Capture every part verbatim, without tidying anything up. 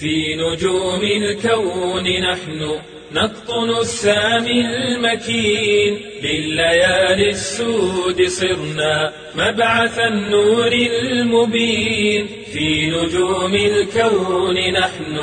في نجوم الكون نحن نقطن السامي المكين، لليالي السود صرنا مبعث النور المبين. في نجوم الكون نحن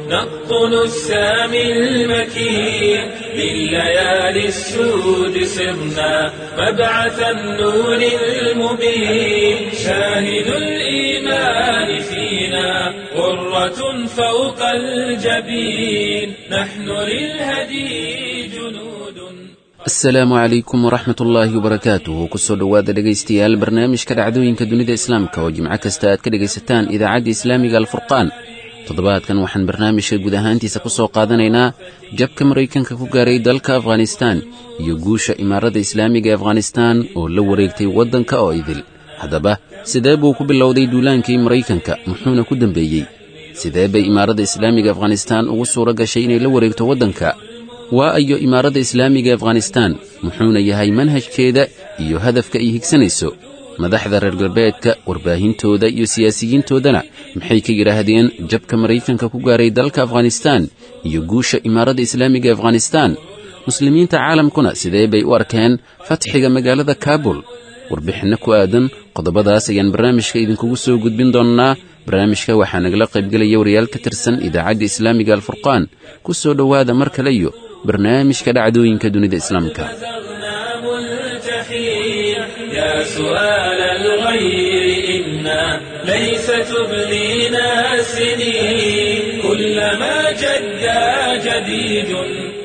نقطن السامي المكين، لليالي السود صرنا مبعث النور المبين. شاهد الإيمان فينا غرة فوق الجبين، نحن للهدي جنود. Asalaamu calaykum waraxmat ullaahi wabarakaatuhu. Kusoo dhowaada dhegaystayaal barnaamijka dhacdooyinka dunida islaamka oo jimco kasta aad ka dhegaysataan idaacadda islaamiga Alfurqaan. Toddobaadkan waxaan barnaamijka guud ahaantiisa ku soo qaadanaynaa jabka Maraykanka ku gaaray dalka Afghanistaan iyo guusha Imaaradda Islaamiga ee Afghanistaan oo la wareegtay waddanka oo idil. Haddaba sidee buu ku bilowday duulaankii Maraykanka, muxuuna ku dembeeyey? Sidee bay Imaaradda Islaamiga Afghanistaan ugu suura gashay inay la wareegto waddanka? Waa ayo Imaaradda Islaamiga ee Afghanistaan, muxuuna yahay manhajkeeda iyo hadafka ay higsanayso? Madaxda reer galbeedka, warbaahintooda iyo siyaasiyiintoodana maxay ka yidhaahdeen jabka Maraykanka ku gaaray dalka Afghanistaan iyo guusha Imaaradda Islaamiga ee Afghanistaan? Muslimiinta caalamkuna sidee bay u arkeen fatxiga magaalada Kaabul? Warbixinno ku aadan qodobadaas ayaan barnaamijka idinkugu soo gudbin doonnaa. Barnaamijka waxaa nagala qaybgelaya wariyaal ka tirsan idaacadda islaamiga Alfurqaan. Ku soo dhowaada mar kale iyo barnaamijka dhacdooyinka dunida islaamka. بزغنا ملتحين، يا سؤال الغير إنا ليس تبلينا السنين. كلما جد جديد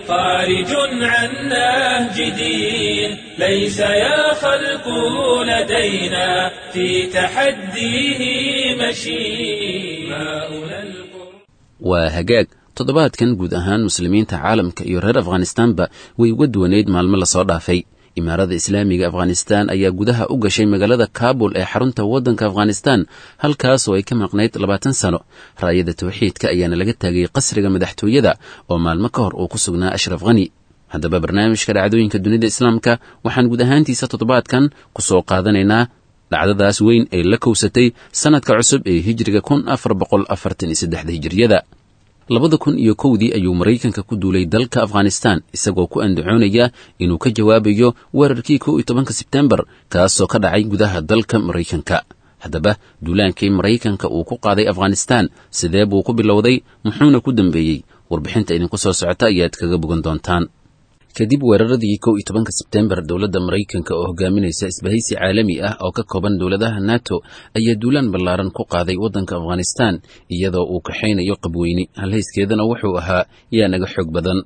خارج عن نهج دين، ليس يا خلق لدينا في تحديه مشين. ماؤنا القرآن Waa hagaag. Toddobaadkan guud ahaan muslimiinta caalamka iyo reer Afghanistaanba way uga duwanayd maalmo lasoo dhaafay. Imaaradda Islaamiga Afghanistaan ayaa gudaha u gashay magaalada Kaabul ee xarunta waddanka Afghanistaan, halkaasoo ay ka maqnayd labaatan sano. Raayada tawxiidka ayaana laga taagay qasriga madaxtooyada oo maalmo ka hor uu ku sugnaa Ashraf Khani. Haddaba barnaamijka dhacdooyinka dunida islaamka waxaan guud ahaantiisa toddobaadkan ku soo qaadanaynaa dhacdadaas weyn ee la kowsatay sannadka cusub ee hijriga kun afar boqol afartan iyo saddexda hijriyada. Labada kun iyo kowdii ayuu Maraykanka ku duulay dalka Afghanistan, isagoo ku andacoonaya inuu ka jawaabayo weerarkii kow iyo tobanka Sebtembar, kaasoo ka dhacay gudaha dalka Maraykanka. Haddaba duulaankii Maraykanka uu ku qaaday Afghanistan sidee buu ku bilowday, muxuuna ku dambeeyey? Warbixinta idinku soo socota ayaad kaga bogan doontaan. Kadib weeraradii kow iyo tobanka Sebtembar, dowladda Maraykanka oo hogaaminaysa isbahaysi caalami ah oo ka kooban dowladaha NATO ayaa duulaan ballaaran ku qaaday waddanka Afghanistan, iyadoo uu kaxaynayo qabweyne halhayskeedana wuxuu ahaa "yaa naga xoog badan".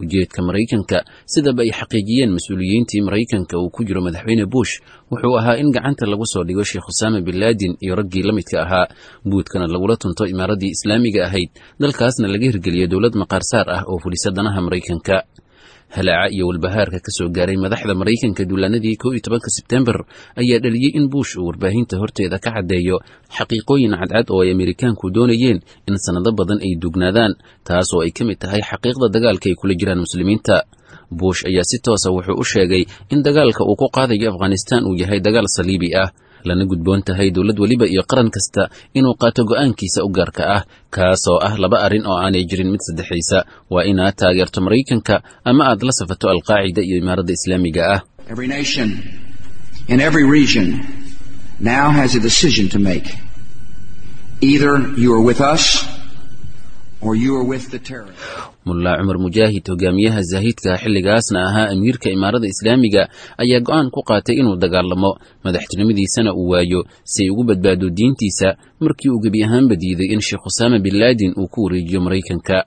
Ujeedka Maraykanka, sidaba ay xaqiijiyeen mas-uuliyiintii Maraykanka uu ku jiro madaxweyne Bush, wuxuu ahaa in gacanta lagu soo dhigo Sheekh Usaama bin Laadin iyo raggii la midka ahaa, buudkana lagula tunto imaaraddii islaamiga ahayd, dalkaasna laga hirgeliyo dowlad maqaarsaar ah oo fulisa danaha Maraykanka. Halaaca iyo walbahaarka ka soo gaaray madaxda Maraykanka duulaanadii kow iyo tobanka Sebtembar ayaa dhaliyey in Bush uu warbaahinta horteeda ka caddeeyo xaqiiqooyin cadcad oo ay Amerikaanku doonayeen in sannado badan ay duugnaadaan, taas oo ay ka mid tahay xaqiiqda dagaalka ay kula jiraan muslimiinta. Bush ayaa si toosa wuxuu u sheegay in dagaalka uu ku qaadayo Afghanistan uu yahay dagaal saliibi ah, lana gudboon tahay dowlad weliba iyo qaran kasta inuu qaato go'aankiisa u gaarka ah, kaasoo ah laba arrin oo aanay jirin mid saddexaysa: waa inaad taageerto Maraykanka ama aad la safato Alqaacida iyo Imaaradda Islaamiga ah. Every nation in every region now has a decision to make. Either you are with us or you are with the terrorists. Mullaa Cumar Mujaahid, hogaamiyaha zaahidka xilligaasna ahaa amiirka Imaaradda Islaamiga, ayaa go'aan ku qaatay inuu dagaalamo, madaxtinimadiisana uu waayo, si ay ugu badbaado diintiisa, markii uu gebi ahaanba diiday in Sheekh Usaama bin Laadin uu ku wareejiyo Maraykanka.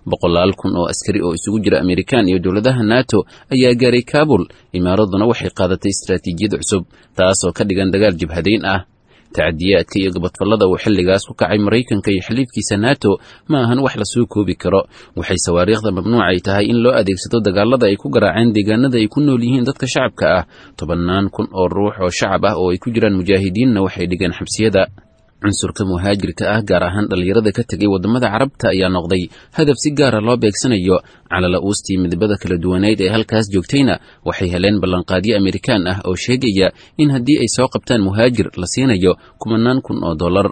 Boqolaal kun oo askari oo isugu jira Amerikaan iyo dowladaha NATO ayaa gaaray Kaabul. Imaaraduna waxay qaadatay istaraatiijiyad cusub, taasoo ka dhigan dagaal jabhadayn ah. Tacadiyaadka iyo gabadfallada uu xilligaas ku kacay Maraykanka iyo xiliifkiisa NATO ma ahan wax lasoo koobi karo. Waxay sawaariikhda mamnuucay tahay in loo adeegsado dagaalada ay ku garaaceen deegaanada ay ku nool yihiin dadka shacabka ah. Tobannaan kun oo ruux oo shacab ah oo ay ku jiraan mujaahidiinna waxay dhigeen xabsiyada. Cunsurka muhaajirka ah, gaar ahaan dhallinyarada ka tegay waddamada Carabta, ayaa noqday hadaf si gaara loo beegsanayo. Calala uustii midabada kala duwaneyd ee halkaas joogtayna waxay heleen ballanqaadyo Amerikaan ah oo sheegaya in haddii ay soo qabtaan muhaajir la siinayo kumanaan kun oo dollar.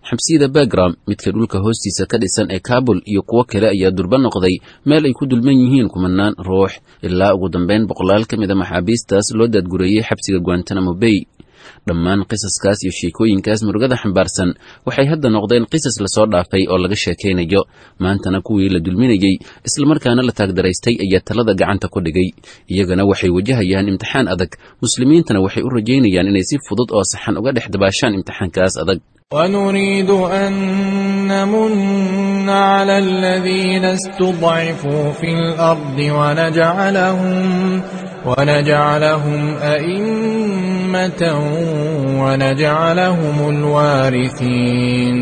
Xabsiyada Bagram, midka dhulka hoostiisa ka dhisan ee Kaabul iyo kuwo kale ayaa durba noqday meel ay ku dulman yihiin kumanaan ruux, ilaa ugu dambeyn boqolaal ka mid a maxaabiistaas loo daadgureeyey xabsiga Guantanamo Bay. Dhammaan qisaskaas iyo sheekooyinkaas murugada xambaarsan waxay hadda noqdeen qisas lasoo dhaafay oo laga sheekaynayo. Maantana kuwii la dulminayey islamarkaana la taagdaraystay ayaa talada gacanta ku dhigay, iyagana waxay wajahayaan imtixaan adag. Muslimiintana waxay u rajaynayaan inay si fudud oo saxan uga dhex dabaashaan imtixaankaas adag. ونريد أن نمن على الذين استضعفوا في الأرض ونجعلهم ونجعلهم أئمة ونجعلهم الوارثين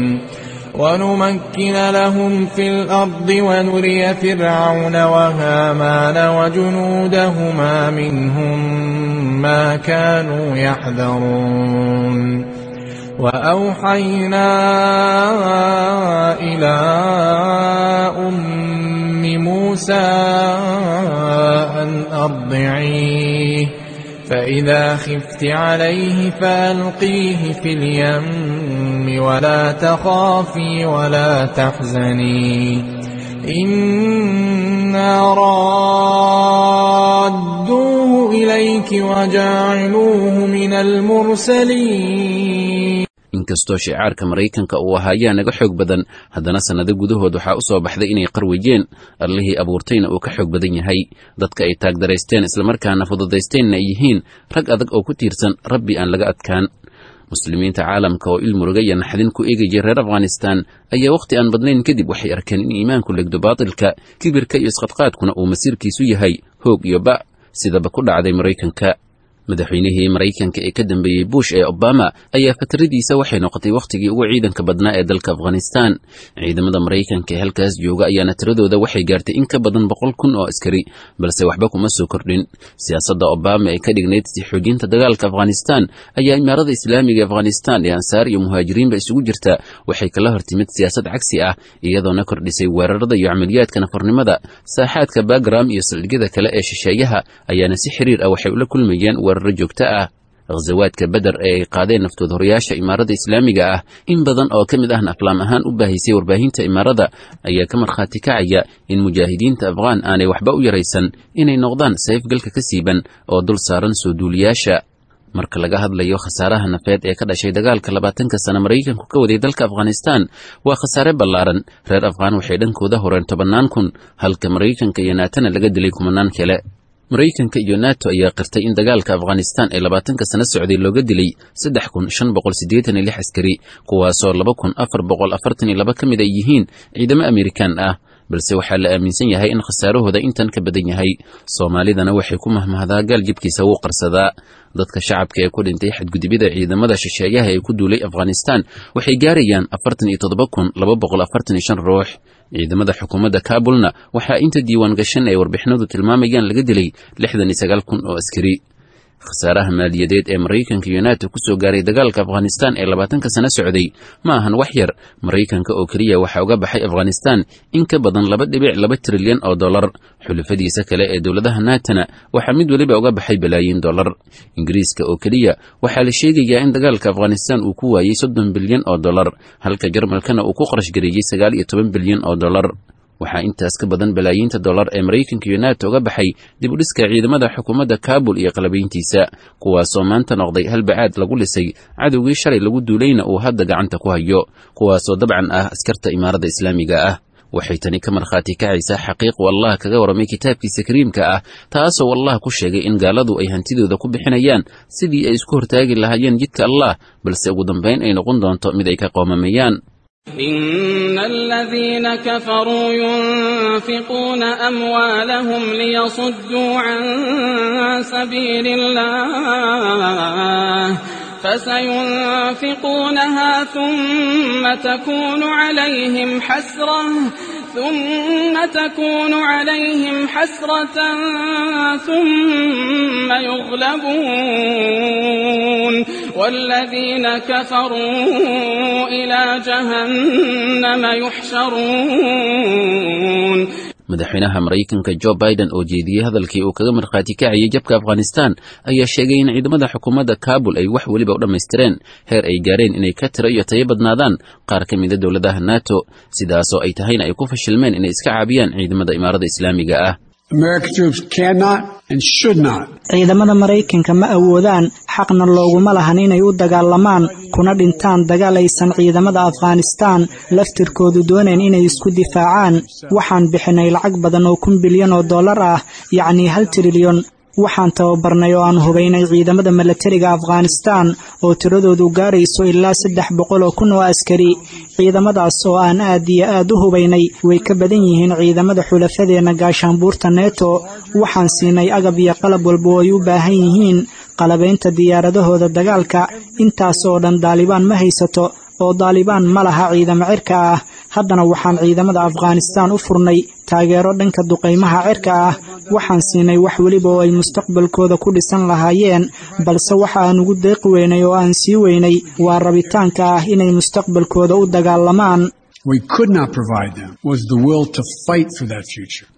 ونمكن لهم في الأرض ونري فرعون وهامان وجنودهما منهم ما كانوا يحذرون. وأوحينا إلى أم موسى أن أرضعيه فإذا خفت عليه فألقيه في اليم ولا تخافي ولا تحزني إنا رادوه إليك وجاعلوه من المرسلين. Inkastoo shicaarka Maraykanka uu ahaa yaa naga xoog badan, haddana sannado gudahood waxaa u soo baxday inay qarweyeen, Allihii abuurtayna uu ka xoog badan yahay. Dadka ay taagdaraysteen islamarkaana fududaysteenna ay yihiin rag adag oo ku tiirsan Rabbi aan laga adkaan. Muslimiinta caalamka oo il muruga iyo naxdin ku eegayay reer Afghanistan ayaa wakhti aan badnayn kadib waxay arkeen in iimaanku legdo baatilka, kibirka iyo isqadqaadkuna uu masiirkiisu yahay hoog iyo ba', sidaba ku dhacday Maraykanka. Madaxweynihii Maraykanka ee ka dambeeyey Bush ee Obama ayaa fatradiisa waxay noqotay wakhtigii ugu ciidanka badnaa ee dalka Afghanistan. Ciidamada Maraykanka ee halkaas jooga ayaana tiradooda waxay gaartay in ka badan boqol kun oo askari, balse waxba kuma soo kordhin. Siyaasadda Obama ee ka dhignayd si xoojinta dagaalka Afghanistan ayaa Imaarada Islaamiga Afghanistan ee Ansaar iyo Muhaajiriinba isugu jirta waxay kala hortimid siyaasad cagsi ah, iyadoona kordhisay weerarada iyo camaliyaadka nafarnimada. Saaxaadka Bagram iyo saldhigyada kale ee shisheeyaha ayaana si xiriir ah waxay ula kulmayeen weeraro joogto ah. Ghazawaadka Beder ee ay qaadeen naftood horayaasha Imaarada Islaamiga ah, in badan oo ka mid ahna aflaam ahaan u baahisay warbaahinta Imaarada, ayaa ka markhaati kacaya in mujaahidiinta Afghaan aanay waxba u yaraysan inay noqdaan sayfgalka ka siiban oo dul saaran soo duuliyaasha. Marka laga hadlayo khasaaraha nafeed ee ka dhashay dagaalka labaatanka sano Maraykanku ka waday dalka Afghanistan, waa khasaare ballaaran. Reer Afghaan waxay dhankooda horeen tobannaan kun, halka Maraykanka iyo Naatana laga dilay kumanaan kale. Maraykanka iyo Nato ayaa qirtay in dagaalka Afghanistan ee labaatanka sano socday looga dilay saddex kun shan boqol siddeetan iyo lix askari, kuwaasoo laba kun afar boqol afartan iyo laba ka mid ay yihiin ciidamo Amerikaan ah, balse waxaa la aaminsan yahay in khasaarahooda intan ka badan yahay. Soomaalidana waxay ku mahmahdaa gaal jibkiisa wuu qarsadaa. Dadka shacabka ee ku dhintay xadgudubyada ciidamada shisheeyaha ee ku duulay Afghanistan waxay gaarayaan afartan iyo toddoba kun laba boqol afartan iyo shan ruux. Ciidamada xukuumadda Kaabulna waxaa inta diiwaan gashan ay warbixinadu tilmaamayaan laga dilay lixdan iyo sagaal kun oo askari. Khasaaraha maaliyadeed ee Maraykanka iyo Nato ku soo gaaray dagaalka Afghanistan ee labaatanka sano socday ma ahan wax yar. Maraykanka oo keliya waxaa uga baxay Afghanistan in ka badan laba dhibic laba trilyan oo dollar. Xulafadiisa kale ee dowladaha Naatana waxaa mid weliba uga baxay balaayiin dollar. Ingiriiska oo keliya waxaa la sheegayaa in dagaalka Afghanistan uu ku waayey soddon bilyan oo dollar, halka Jarmalkana uu ku qarash gareeyey sagaal iyo toban bilyan oo dollar. Waxaa intaas ka badan balaayiinta dollar ee Maraykanka iyo Nato uga baxay dib u dhiska ciidamada xukuumadda Kaabul iyo qalabayntiisa, kuwaasoo maanta noqday halbacaad lagu lisay cadowgii shalay lagu duulayna uu hadda gacanta ku hayo, kuwaasoo dabcan ah askarta Imaarada Islaamiga ah. Waxay tani ka markhaati kacaysaa xaqiiq uu Allah kaga warramay kitaabkiisa kariimka ah, taasoo Allah ku sheegay in gaaladu ay hantidooda ku bixinayaan sidii ay isku hortaagi lahaayeen jidka Allah, balse ugu dambayn ay noqon doonto mid ay ka qoomameeyaan. إن الذين كفروا ينفقون أموالهم ليصدوا عن سبيل الله فسينفقونها ثم تكون عليهم حسرة ثم تكون عليهم حسرة ثم يغلبون والذين كفروا إلى جهنم يحشرون. Madaxweynaha Maraykanka Joe Biden oo jeediyey hadalkii uu kaga markhaati kacayay jabka Afghanistan ayaa sheegay in ciidamada xukuumadda Kaabul ay wax weliba u dhammaystireen, heer ay gaareen inay ka tiro iyo tayo badnaadaan qaar ka mida dowladaha NATO, sidaasoo ay tahayna ay ku fashilmeen inay iska caabiyaan ciidamada Imaarada Islaamiga ah. Ciidamada Maraykanka ma awoodaan, xaqna looguma lahan inay u dagaalamaan kuna dhintaan dagaal aysan ciidamada Afghanistan laftirkoodu doonayn inay isku difaacaan. Waxaan bixinay lacag badan oo kun bilyan oo dollar ah, yacnii hal trilyon. Waxaan tababarnay oo aan hubaynay ciidamada milatariga Afghanistan oo tiradoodu gaarayso ilaa saddex boqol oo kun oo askari. Ciidamadaas oo aan aad iyo aad u hubaynay way ka badan yihiin ciidamada xulafadeenna gaashaanbuurta Neto. Waxaan siinay agab iyo qalab walba oo ay u baahan yihiin, qalabaynta diyaaradahooda dagaalka. Intaas oo dhan Daalibaan ma haysato, oo Daalibaan ma laha ciidamo cirka ah. Haddana waxaan ciidamada Afghanistan u furnay taageero dhanka duqaymaha cirka ah. Waxaan siinay wax weliba oo ay mustaqbalkooda ku dhisan lahaayeen, balse waxa aan ugu deeqi weynay oo aan sii weynay waa rabitaanka ah inay mustaqbalkooda u dagaalamaan.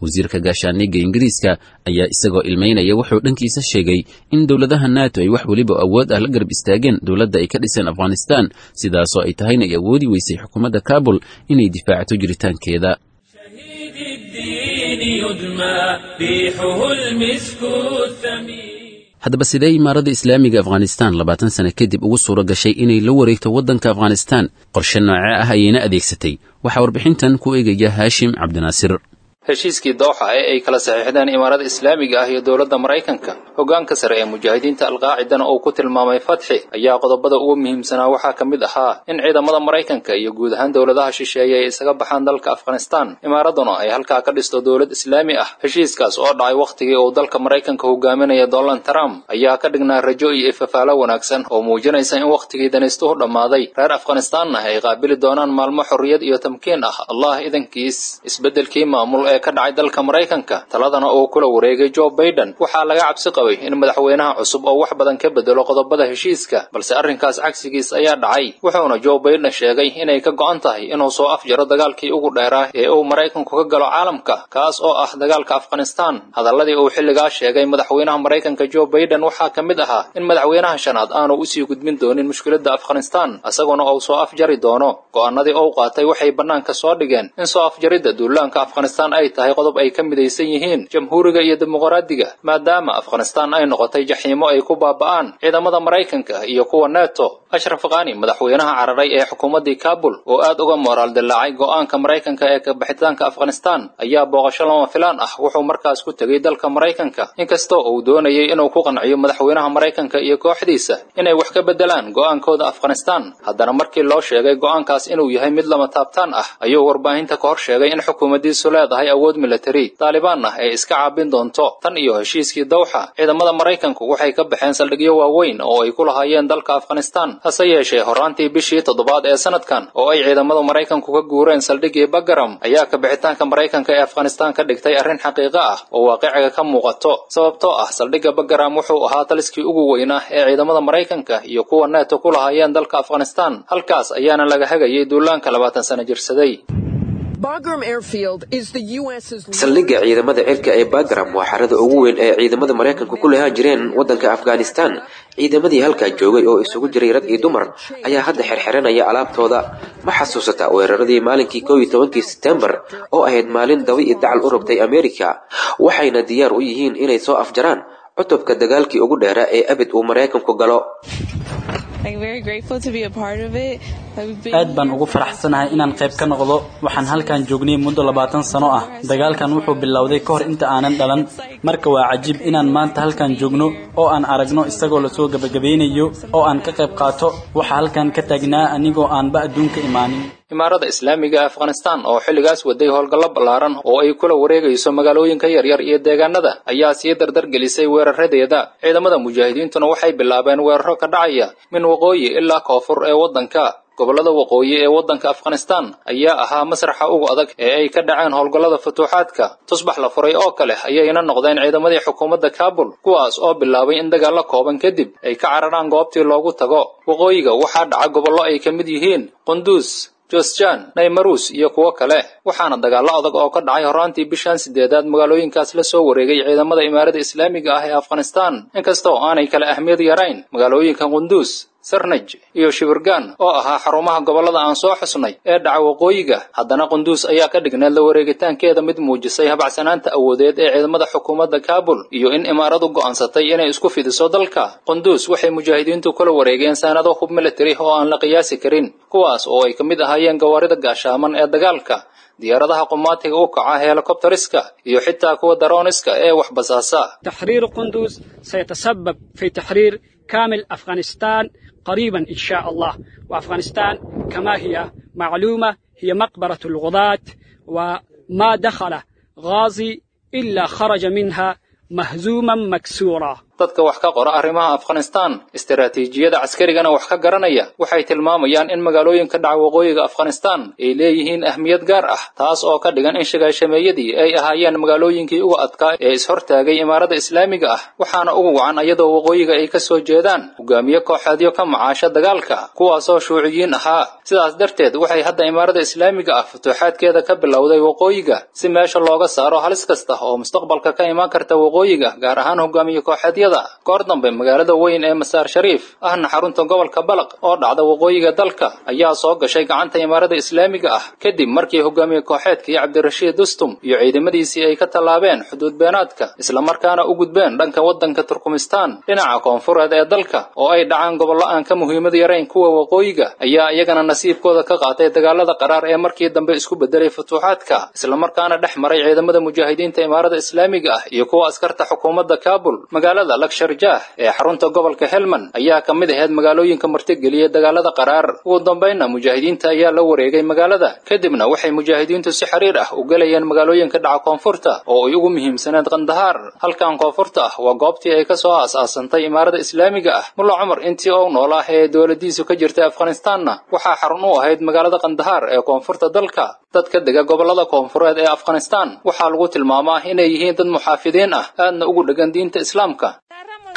Wasiirka gaashaaniga Ingiriiska ayaa isagoo ilmeynaya wuxuu dhankiisa sheegay in dowladaha NATO ay wax weliba awood ah la garab istaageen dowladda ay ka dhiseen Afghanistan, sidaasoo ay tahayna ay awoodi weysay xukuumadda Kaabul inay difaacato jiritaankeeda. Haddaba sidee Imaarada Islaamiga Afghanistan labaatan sano kadib ugu suura gashay inay la wareegto waddanka Afghanistan? Qorshe noocee ah ayayna adeegsatay? Waxaa warbixintan ku eegaya Haashim Cabdinaasir. Heshiiskii Dooxa ee ay kala saxiixdeen Imaarada Islaamiga ah iyo dowladda Maraykanka, hoggaanka sare ee mujaahidiinta Alqaacidana uu ku tilmaamay fatxi, ayaa qodobada ugu muhiimsanaa waxaa ka mid ahaa in ciidamada Maraykanka iyo guud ahaan dowladaha shisheeye ay isaga baxaan dalka Afghanistan, imaaraduna ay halkaa ka dhisto dowlad islaami ah. Heshiiskaas oo dhacay wakhtigii uu dalka Maraykanka hogaaminaya Donald Trump ayaa ka dhignaa rajo iyo ifafaalo wanaagsan oo muujinaysa in wakhtigii danaystuhu dhammaaday, reer Afghanistanna ay qaabili doonaan maalmo xorriyad iyo tamkiin ah, Allah idankiis. Isbeddelkii maamul ee ka dhacay dalka Maraykanka, taladana uu kula wareegay Joe Biden, waxaa laga cabsi qabay in madaxweynaha cusub oo wax badan ka bedelo qodobada heshiiska, balse arrinkaas cagsigiis ayaa dhacay. Wuxuuna Joe Biden sheegay inay ka go'an tahay inuu soo afjaro dagaalkii ugu dheeraa ee uu Maraykanku ka galo caalamka, kaas oo ah dagaalka Afghanistan. Hadalladii uu xilligaa sheegay madaxweynaha Maraykanka Joe Biden waxaa ka mid ahaa in madaxweynaha shanaad aanu usii gudbin doonin mushkiladda Afghanistan, isaguna uu soo afjari doono. Go'aanadii uu qaatay waxay bannaanka soo dhigeen in soo afjaridda duulaanka Afghanistan ay tahay qodob ay ka midaysan yihiin jamhuuriga iyo dimuqraadiga, maadaama Afghanistan ay noqotay jaxiimo ay ku baaba'aan ciidamada Maraykanka iyo kuwa NATO. Ashraf Ghani, madaxweynaha cararay ee xukuumaddii Kabul oo aad uga moraal dillaacay go'aanka Maraykanka ee ka bixitaanka Afghanistan, ayaa booqasho lama filaan ah wuxuu markaas ku tegey dalka Maraykanka, inkastoo uu doonayay inuu ku qanciyo madaxweynaha Maraykanka iyo kooxdiisa inay wax ka beddelaan go'aankooda Afghanistan. Haddana markii loo sheegay go'aankaas inuu yahay mid lama taabtaan ah, ayuu warbaahinta ka hor sheegay in xukuumaddiisu leedahay awood military, Taalibaanna ay iska caabin doonto. Tan iyo heshiiskii Dawxa, ciidamada Maraykanku waxay ka baxeen saldhigyo waaweyn oo ay ku lahaayeen dalka Afghanistan. Hase yeeshee horaantii bishii toddobaad ee sanadkan oo ay ciidamada Maraykanku ka guureen saldhiggii Bagaram, ayaa ka bixitaanka Maraykanka ee Afghanistan ka dhigtay arrin xaqiiqo ah oo waaqiciga ka muuqato, sababtoo ah saldhigga Bagaram wuxuu ahaa taliskii ugu weynaa ee ciidamada Maraykanka iyo kuwa NATO ku lahaayeen dalka Afghanistan. Halkaas ayaana laga hagayay duulaanka labaatan sano jirsaday. Saldhigga ciidamada cirka ee Bagram waa xarada ugu weyn ee ciidamada Maraykanku ku lahaan jireen waddanka Afghanistan. Ciidamadii halkaa joogay oo isugu jiray rag iyo dumar ayaa hadda xirxiranaya alaabtooda. Ma xasuusataa weeraradii maalinkii kow iyo tobankii Sebtembar oo ahayd maalin dabi iyo dacal u rogtay Ameerika? Waxayna diyaar u yihiin inay soo afjaraan cutubka dagaalkii ugu dheeraa ee abid uu Maraykanku galo. Aad baan ugu faraxsanahay inaan qayb ka noqdo. Waxaan halkan joognay muddo labaatan sano ah. Dagaalkan wuxuu bilowday ka hor inta aanan dhalan. Marka waa cajiib inaan maanta halkan joogno oo aan aragno isagoo lasoo gabagabeynayo oo aan ka qayb qaato. Waxa halkan ka taagnaa anigoo aanba adduunka imaanin. Imaarada Islaamiga ee Afghanistan oo xilligaas waday howlgallo ballaaran oo ay kula wareegayso magaalooyinka yaryar iyo deegaanada ayaa sii dardar gelisay weeraradeeda. Ciidamada mujaahidiintuna waxay bilaabeen weeraro ka dhacaya min waqooyi ilaa koonfur ee waddanka. Gobollada waqooyi ee waddanka Afghanistan ayaa ahaa masraxa ugu adag ee ay ka dhaceen howlgallada futuuxaadka. Tusbax la furay oo kale ayayna noqdeen ciidamadii xukuumadda Kabul, kuwaas oo bilaabay in dagaallo kooban kadib ay ka cararaan goobtii loogu tago. Waqooyiga waxaa dhaca gobollo ay ka mid yihiin Qunduus, Josjan, Naymarus iyo kuwo kale. Waxaana dagaallo adag oo ka dhacay horaantii bishan sideedaad magaalooyinkaas la soo wareegay ciidamada imaarada islaamiga ah ee Afghanistan, inkastoo aanay kala ahmiyad yarayn magaalooyinka Qundus, Sarnaj iyo Shibirgan oo ahaa xarumaha gobollada aan soo xusnay ee dhaca waqooyiga. Haddana Qundus ayaa ka dhigneed la wareegitaankeeda mid muujisay habacsanaanta awoodeed ee ciidamada xukuumadda Kaabul iyo in imaaradu go'aansatay inay isku fidiso dalka. Qundus waxay mujaahidiintu kula wareegeen saanado hub military oo aan la qiyaasi karin, kuwaas oo ay ka mid ahaayeen gawaarida gaashaaman ee dagaalka, diyaaradaha qumaatiga u kaca helikobtariska iyo xitaa kuwa darooniska ee wax basaasa. تحرير قندوز سيتسبب في تحرير كامل أفغانستان قريبا إن شاء الله. وأفغانستان كما هي معلومة هي مقبرة الغزاة، وما دخل غازي إلا خرج منها مهزوما مكسورا. Dadka wax ka qora arrimaha Afghanistan, istiraatiijiyada caskarigana wax ka garanaya, waxay tilmaamayaan in magaalooyinka dhaca waqooyiga Afghanistan ay leeyihiin ahmiyad gaar ah, taas oo ka dhigan in shigaashameeyadii ay ahaayeen magaalooyinkii ugu adkaa ee ishortaagay imaarada islaamiga ah. Waxaana ugu wacan iyadoo waqooyiga ay ka soo jeedaan hogaamiye kooxeedyo ka macaasha dagaalka, kuwaasoo shuuciyiin ahaa. Sidaas darteed waxay hadda imaarada islaamiga ah futuuxaadkeeda ka bilowday waqooyiga si meesha looga saaro halis kasta oo mustaqbalka ka imaan karta waqooyiga, gaar ahaan hogaamiye kooxeedyada. Goor dambe magaalada weyn ee Masaar Shariif ahna xarunta gobolka Balaq oo dhacda waqooyiga dalka ayaa soo gashay gacanta imaarada islaamiga ah kadib markii hogaamiye kooxeedkii Cabdirashiid Dostum iyo ciidamadiisii ay ka tallaabeen xuduud beenaadka, isla markaana u gudbeen dhanka waddanka Turkmenistan. Dhinaca koonfureed ee dalka oo ay dhacaan gobollo aan ka muhiimad yarayn kuwa waqooyiga ayaa iyagana nasiibkooda ka qaatay dagaalada qaraar ee markii dambe isku bedelay futuuxaadka, isla markaana dhex maray ciidamada mujaahidiinta imaarada islaamiga ah iyo kuwa askarta xukuumadda Kaabul. Magaalada Laksharjah ee xarunta gobolka Helmand ayaa ka mid ahayd magaalooyinka martigeliyay dagaalada qaraar. Ugu dambeynna mujaahidiinta ayaa la wareegay magaalada, kadibna waxay mujaahidiintu si xiriir ah u galayeen magaalooyinka dhaca koonfurta oo ay ugu muhiimsaneed Qandahaar. Halkan koonfurta ah waa goobtii ay ka soo aas-aasantay imaarada islaamiga ah. Mulla Cumar intii uu noolaa ee dowladiisu ka jirtay Afghanistanna waxaa xarun u ahayd magaalada Qandahaar ee koonfurta dalka. Dadka dega gobollada koonfureed ee Afghanistan waxaa lagu tilmaamaa inay yihiin dad muxaafidiin ah, aadna ugu dhegan diinta islaamka.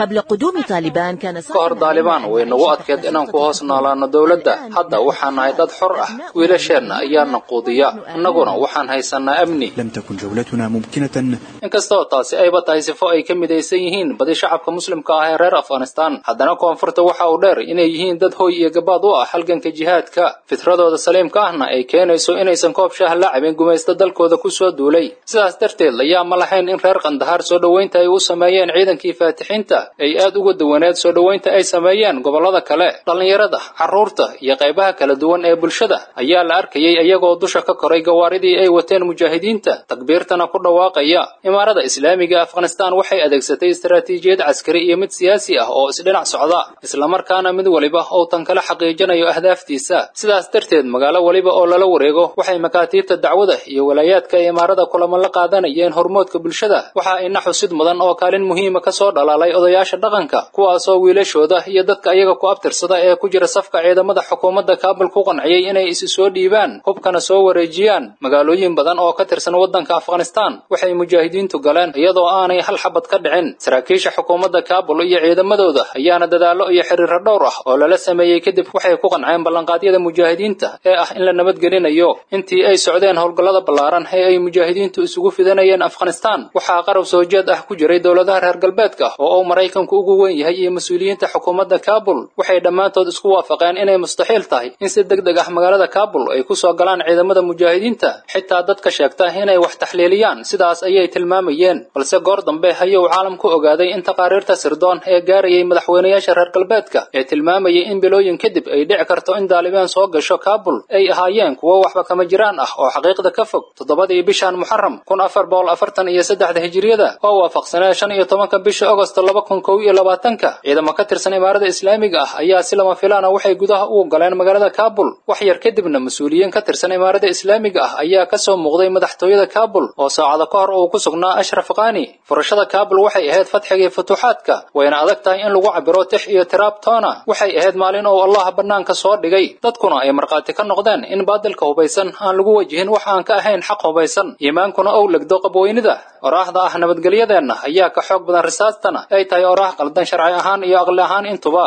قبل قدوم طالبان كان Ka hor Daalibaan way nagu adkeed inaan ku hoos noolaano dowladda. Hadda waxaan nahay dad xor ah, wiilasheenna ayaana quudiya, annaguna waxaan haysanaa amni. لم تكن جولتنا ممكنة. Inkastoo taasi ayba tahay sifo ay ka midaysan yihiin badi shacabka muslimka ah ee reer Afghanistan, haddana koonfurta waxa uu dheer inay yihiin dad hoy iyo gabaad u ah halganka jihaadka, fitradooda saliimka ahna ay keenayso inaysan koob shaah la cabin gumaysta dalkooda ku soo duulay. Sidaas darteed layaa ma lahayn in reer Qandahaar soo dhoweynta ay u sameeyeen ciidankii faatixiinta ay aad uga duwaneed soo dhoweynta ay sameeyeen gobollada kale. Dhallinyarada, carruurta iyo qaybaha kala duwan ee bulshada ayaa la arkayay iyagoo dusha ka koray gawaaridii ay wateen mujaahidiinta, takbiirtana ku dhawaaqaya. Imaarada islaamiga Afghanistan waxay adeegsatay istaraatiijiyad caskari iyo mid siyaasi ah oo isdhinac socda, islamarkaana mid waliba oo tan kala xaqiijinayo ahdaaftiisa. Sidaas darteed magaalo waliba oo lala wareego waxay makaatiibta dacwada iyo walaayaadka ee imaarada kulamo la qaadanayeen hormoodka bulshada. Waxa ina xusid mudan oo kaalin muhiima ka soo dhalaalay odayaasha dhaqanka, kuwaasoo wiilashooda iyo dadka iyaga ku abtirsada ee ku jira safka ciidamada xukuumadda Kaabul ku qanciyay inay isu soo dhiibaan, hubkana soo wareejiyaan. Magaalooyin badan oo ka tirsan waddanka Afghanistan waxay mujaahidiintu galeen iyadoo aanay hal xabad ka dhicin. Saraakiisha xukuumadda Kaabul iyo ciidamadooda ayaana dadaallo iyo xiriirro dhowr ah oo lala sameeyey kadib waxay ku qanceen ballanqaadyada mujaahidiinta ee ah in la nabadgelinayo. Intii ay socdeen howlgallada ballaaran ee ay mujaahidiintu isugu fidanayeen Afghanistan, waxaa qarab soo jeed ah ku jiray dowladaha reer galbeedka oo uu Maraykanku ugu weyn yahay iyo mas'uuliyiinta xukuumadda Kaabul. Waxay dhammaantood isku waafaqeen inay mustaxiil tahay in si degdeg ah magaalada Kaabul ay ku soo galaan ciidamada mujaahidiinta, xitaa dadka sheegta inay wax taxliiliyaan sidaas ayay tilmaamayeen. Balse goor dambe ayuu caalamku ogaaday in taqaariirta sirdoon ee gaarayay madaxweynayaasha reer galbeedka ee tilmaamayay in bilooyin kadib ay dhici karto in Daalibaan soo gasho Kaabul ay ahaayeen kuwo waxba kama jiraan ah oo xaqiiqda ka fog. Toddobadii bishan Muxarram kun afar boqol afartan iyo saddexda hijriyada oo waafaqsanaa shan iyo tobanka bisha Agosto laba kun kow iyo labaatanka, ciidamo ka tirsan imaarada islaamiga ah ayaa si lama filaan ah waxay gudaha ugu galeen magaalada Kaabul. Wax yar kadibna mas'uuliyiin ka tirsan imaarada islaamiga ah ayaa ka soo muuqday madaxtooyada Kaabul oo saacado ka hor uu ku sugnaa Ashraf Ghani. Furashada Kaabul waxay ahayd fatxigii futuuxaadka, wayna adag tahay in lagu cabiro tix iyo tiraab toona. Waxay ahayd maalin oo Allah bannaanka soo dhigay, dadkuna ay markhaati ka noqdeen in baadilka hubaysan aan lagu wajihin wax aan ka ahayn xaq hubaysan, iimaankuna uu legdo qabweynida. Oraahda ah nabadgelyadeenna ayaa ka xoog badan risaastana ay tahay oraah qaldan sharci ahaan iyo aqli ahaan intuba.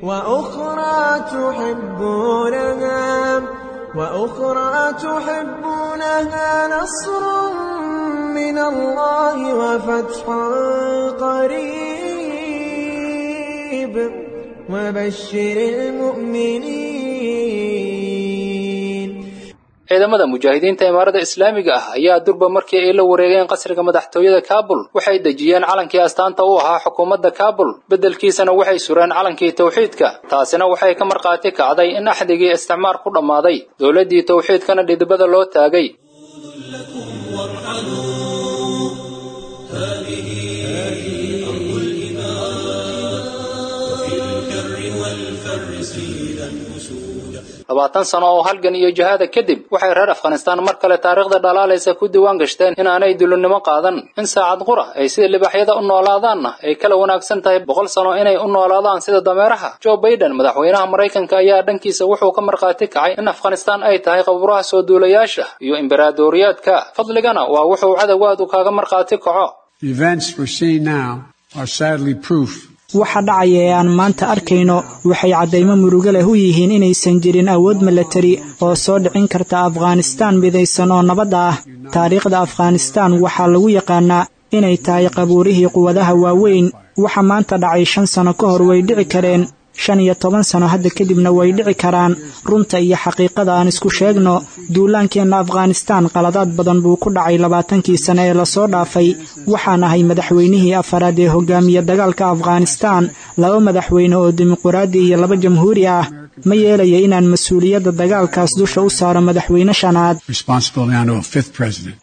وأخرى تحبونها وأخرى تحبونها نصر من الله وفتح قريب وبشر المؤمنين. Ciidamada mujaahidiinta imaarada islaamiga ah ayaa durba markii ay la wareegeen qasriga madaxtooyada Kaabul waxay dejiyeen calankii astaanta u ahaa xukuumadda Kaabul, beddelkiisana waxay sureen calankii tawxiidka. Taasina waxay ka marqaati kacday in axdigii isticmaar ku dhammaaday, dowladdii tawxiidkana dhidibada loo taagay. Labaatan sano oo halgan iyo jihaada kadib waxay reer Afghanistan mar kale taariikhda dhalaalaysa ku diiwaan gashteen in aanay dulinimo qaadan, in saacad qura ay sida libaaxyada u noolaadaanna ay kala wanaagsan tahay boqol sano inay u noolaadaan sida dameeraha. Joe Biden, madaxweynaha Maraykanka, ayaa dhankiisa wuxuu ka marqaati kacay in Afghanistan ay tahay qabuuraha soo duulayaasha iyo imbaraadoriyaadka. Fadligana waa wuxuu cadowgaadu kaaga marqaati kaco. The events we're seeing now are sadly proof. Waxa dhacaya ee aan maanta arkayno waxay caddaymo murugo leh u yihiin inaysan jirin awood milatari oo soo dhicin karta Afghanistan midaysan oo nabad ah. Taariikhda Afghanistan waxaa lagu yaqaanaa inay tahay qabuurihii quwadaha waaweyn. Waxa maanta dhacay shan sano ka hor way dhici kareen, shan iyo toban sano hadda kadibna way dhici karaan. Runta iyo xaqiiqada aan isku sheegno, duulaankeenna Afghanistan qaladaad badan buu ku dhacay labaatankii sano ee lasoo dhaafay. Waxaan ahay madaxweynihii afaraad ee hogaamiya dagaalka Afghanistan, laba madaxweyne oo dimuquraadi iyo laba jamhuuri ah. Ma yeelaya inaan mas-uuliyadda dagaalkaas dusha u saaro madaxweyne shanaad. Responsibility onto a fifth president.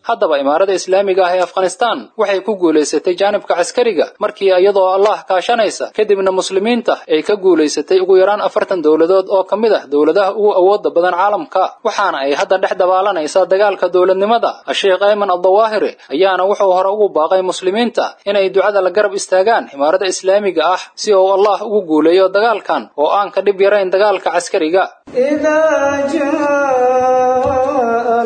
Haddaba imaarada islaamiga ah ee Afghanistan waxay ku guulaysatay jaanibka caskariga markii iyadoo Allah kaashanaysa, kadibna muslimiinta ay ka guulaysatay ugu yaraan afartan dowladood oo ka mid ah dowladaha ugu awoodda badan caalamka, waxaana ay hadda dhex dabaalanaysaa dagaalka dowladnimada. Sheekh Ayman Al-Dawaahiri ayaana wuxuu hore ugu baaqay muslimiinta inay ducada la garab istaagaan imaarada islaamiga ah si uu Allah ugu guuleeyo dagaalkan oo aan ka dhib yarayn dagaalka caskariga.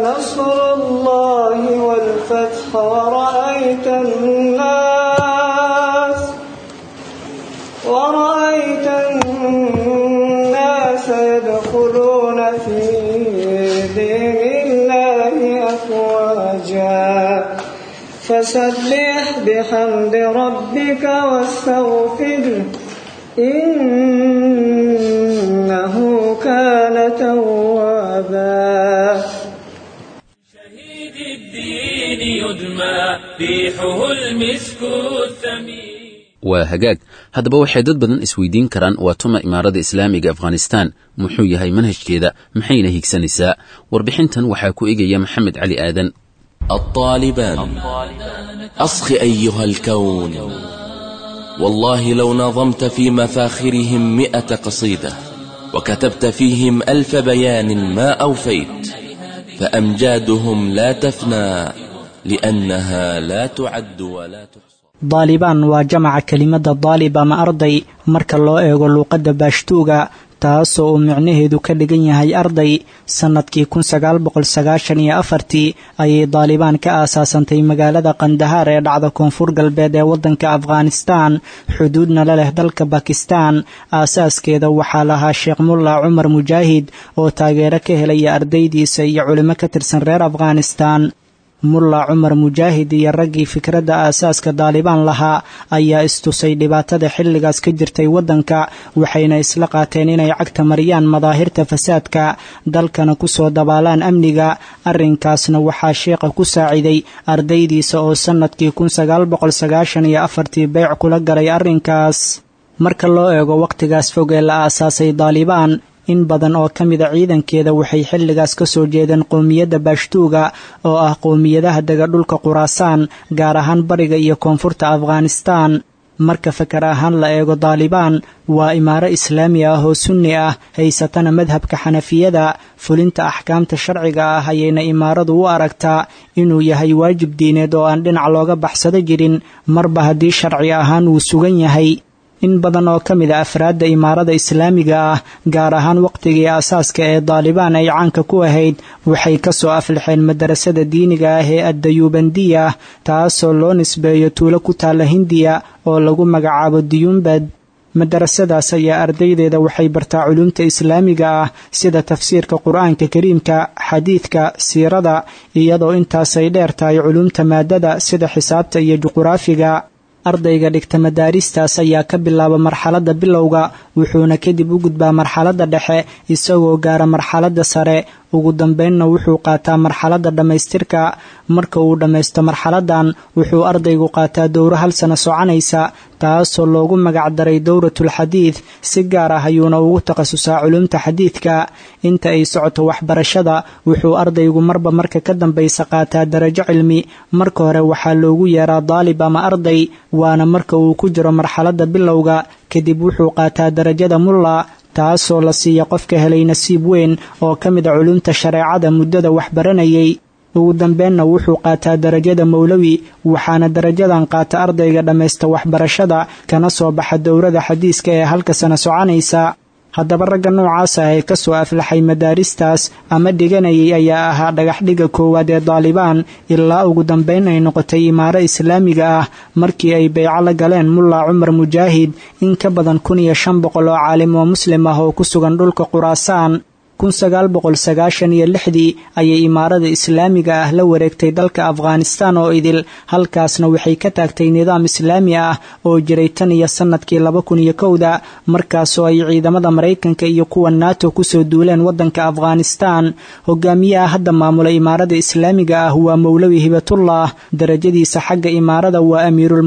نصر الله والفتح ورأيت الناس ورأيت الناس يدخلون في دين الله أفواجا فسبح بحمد ربك واستغفره إنه كان توابا. Waa hagaag. Haddaba waxay dad badan isweydiin karaan waa tuma imaarada islaamiga Afghanistan, muxuu yahay manhajkeeda, maxayna higsanaysaa? Warbixintan waxaa ku egaya Maxamed Cali Aadan. الطالبان أصخ أيها الكون، والله لو نظمت في مفاخرهم مئة قصيدة وكتبت فيهم ألف بيان ما أوفيت، فأمجادهم لا تفنى لأنها لا تعد ولا تحصى. Daalibaan waa jamaca kelimada daalib ama arday marka loo eego luuqadda baashtuuga, taasoo uu micnaheedu ka dhigan yahay arday. Sannadkii kun sagaal boqol sagaashan iyo afartii ayay daalibaan ka aasaasantay magaalada Qandahaar ee dhacda koonfur galbeed ee waddanka Afghanistan, xuduudna la leh dalka Bakistan. Aasaaskeeda waxaa lahaa Sheekh Mulla Cumar Mujaahid oo taageero ka helaya ardaydiisa iyo culimo ka tirsan reer Afghanistan. Mulla Cumar Mujaahid iyo raggii fikradda aasaaska daalibaan lahaa ayaa istusay dhibaatada xilligaas ka jirtay waddanka, waxayna isla qaateen inay cagta mariyaan madaahirta fasaadka, dalkana ku soo dabaalaan amniga. Arrinkaasna waxaa sheekha ku saaciday ardaydiisa oo sannadkii kun sagaal boqol sagaashan iyo afartii beyc kula galay arrinkaas. Marka loo eego wakhtigaas fog ee la aasaasay daalibaan, in badan oo ka mida ciidankeeda waxay xilligaas ka soo jeedeen qowmiyadda baashtuuga oo ah qowmiyadaha dega dhulka Quraasaan, gaar ahaan bariga iyo koonfurta Afghanistan. Marka fakar ahaan la eego, daalibaan waa imaaro islaami ah oo sunni ah, haysatana madhabka xanafiyada. Fulinta axkaamta sharciga ah ayayna imaaradu u aragtaa inuu yahay waajib diineed oo aan dhinac looga baxsado jirin, marba haddii sharci ahaan uu sugan yahay. In badan oo ka mid a afraadda imaarada islaamiga ah, gaar ahaan waqtigii aasaaska ee Daalibaan ay caanka ku ahayd, waxay kasoo aflixeen madarasada diiniga ah ee Addayuubandiya, taasoo loo nisbeeyo tuulo ku taalla Hindiya oo lagu magacaabo Diyuumbad. Madarasadaas ayaa ardaydeeda waxay bartaa culumta islaamiga ah sida tafsiirka Qur-aanka Kariimka, xadiidka, siirada, iyadoo intaasay dheer tahay culumta maadada sida xisaabta iyo juquraafiga. Ardayga dhigta madaaristaas ayaa ka bilaaba marxaladda bilowga, wuxuuna kadib u gudbaa marxaladda dhexe isagoo gaara marxaladda sare. Ugu dambeynna wuxuu qaataa marxaladda dhammaystirka. Marka uu dhammaysto marxaladdan, wuxuu ardaygu qaataa dowro hal sano soconaysa, taasoo loogu magacdaray dowratul xadiid. Si gaar ah ayuuna ugu takhasusaa culumta xadiidka. Inta ay socoto waxbarashada, wuxuu ardaygu marba marka ka dambaysa qaataa darajo cilmi. Marka hore waxaa loogu yeeraa daalib ama arday, waana marka uu ku jiro marxaladda bilowga. Kadib wuxuu qaataa darajada mulla, taasoo la siiya qofka helay nasiib weyn oo ka mid a culumta shareecada muddada waxbaranayay. Ugu dambeenna wuxuu qaataa darajada mowlawi, waxaana darajadan qaata ardayga dhammaysta waxbarashada kana soo baxa dowrada xadiiska ee halka sana soconaysa. Haddaba ragga noocaas ah ee kasoo aflaxay madaaristaas ama dhiganayay ayaa ahaa dhagaxdhigga koowaad ee Daalibaan, ilaa ugu dambeyn ay noqotay imaaro islaamiga ah markii ay beyco la galeen Mulla Cumar Mujaahid in ka badan kun iyo shan boqol oo caalim oo muslim ah oo ku sugan dhulka Quraasaan. Kun sagaal boqol sagaashan iyo lixdii ayay imaarada islaamiga ah la wareegtay dalka Afghanistan oo idil, halkaasna waxay ka taagtay nidaam islaami ah oo jiray tan iyo sanadkii laba kun iyo kowda, markaasoo ay ciidamada Maraykanka iyo kuwa NATO kusoo duuleen waddanka Afghanistan. Hogaamiyaha hadda maamula imaarada islaamiga ah waa Mowlawi Hibatullah. Darajadiisa xagga imaarada waa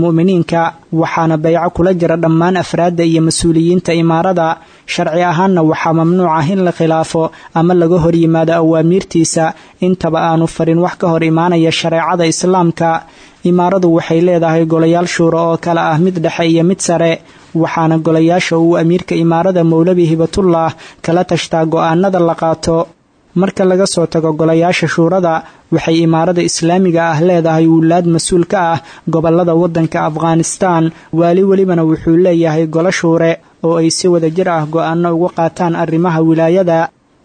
amiirulmu'miniinka, waxaana bayco kula jira dhammaan afraadda iyo mas-uuliyiinta imaarada. Sharci ahaanna waxaa mamnuuc ah in la khilaafo ama laga hor yimaado awaamiirtiisa intaba aanu farin wax ka hor imaanaya shareecada islaamka. Imaaradu waxay leedahay golayaal shuuro oo kale ah mid dhexe iyo mid sare, waxaana golayaasha uu amiirka imaarada Mowlawi Hibatullah kala tashtaa go'aanada la qaato. Marka laga soo tago golayaasha shuurada, waxay imaarada islaamiga ah leedahay wulaad mas-uul ka ah gobolada waddanka Afghanistan. Waali welibana wuxuu leeyahay golo shuure oo ay si wada jir ah go'aano uga qaataan arrimaha wilaayada.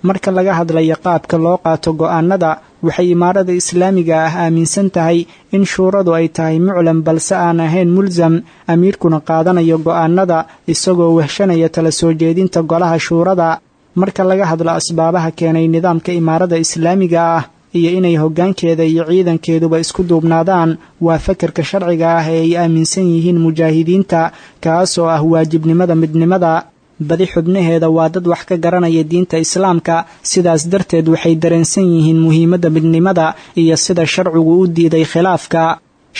Marka laga hadlayo qaabka loo qaato go'aanada, waxay imaarada islaamiga ah aaminsan tahay in shuuradu ay tahay muclam balse aan ahayn mulsam, amiirkuna qaadanayo go'aanada isagoo wehshanaya tala soo jeedinta golaha shuurada. Marka laga hadlo asbaabaha keenay nidaamka imaarada islaamiga ah iyo inay hoggaankeeda iyo ciidankeeduba isku duubnaadaan, waa fakarka sharciga ah ee ay aaminsan yihiin mujaahidiinta, kaasoo ah waajibnimada midnimada. Badi xubnaheeda waa dad wax ka garanaya diinta islaamka, sidaas darteed waxay dareensan yihiin muhiimadda midnimada iyo sida sharcigu u diiday khilaafka.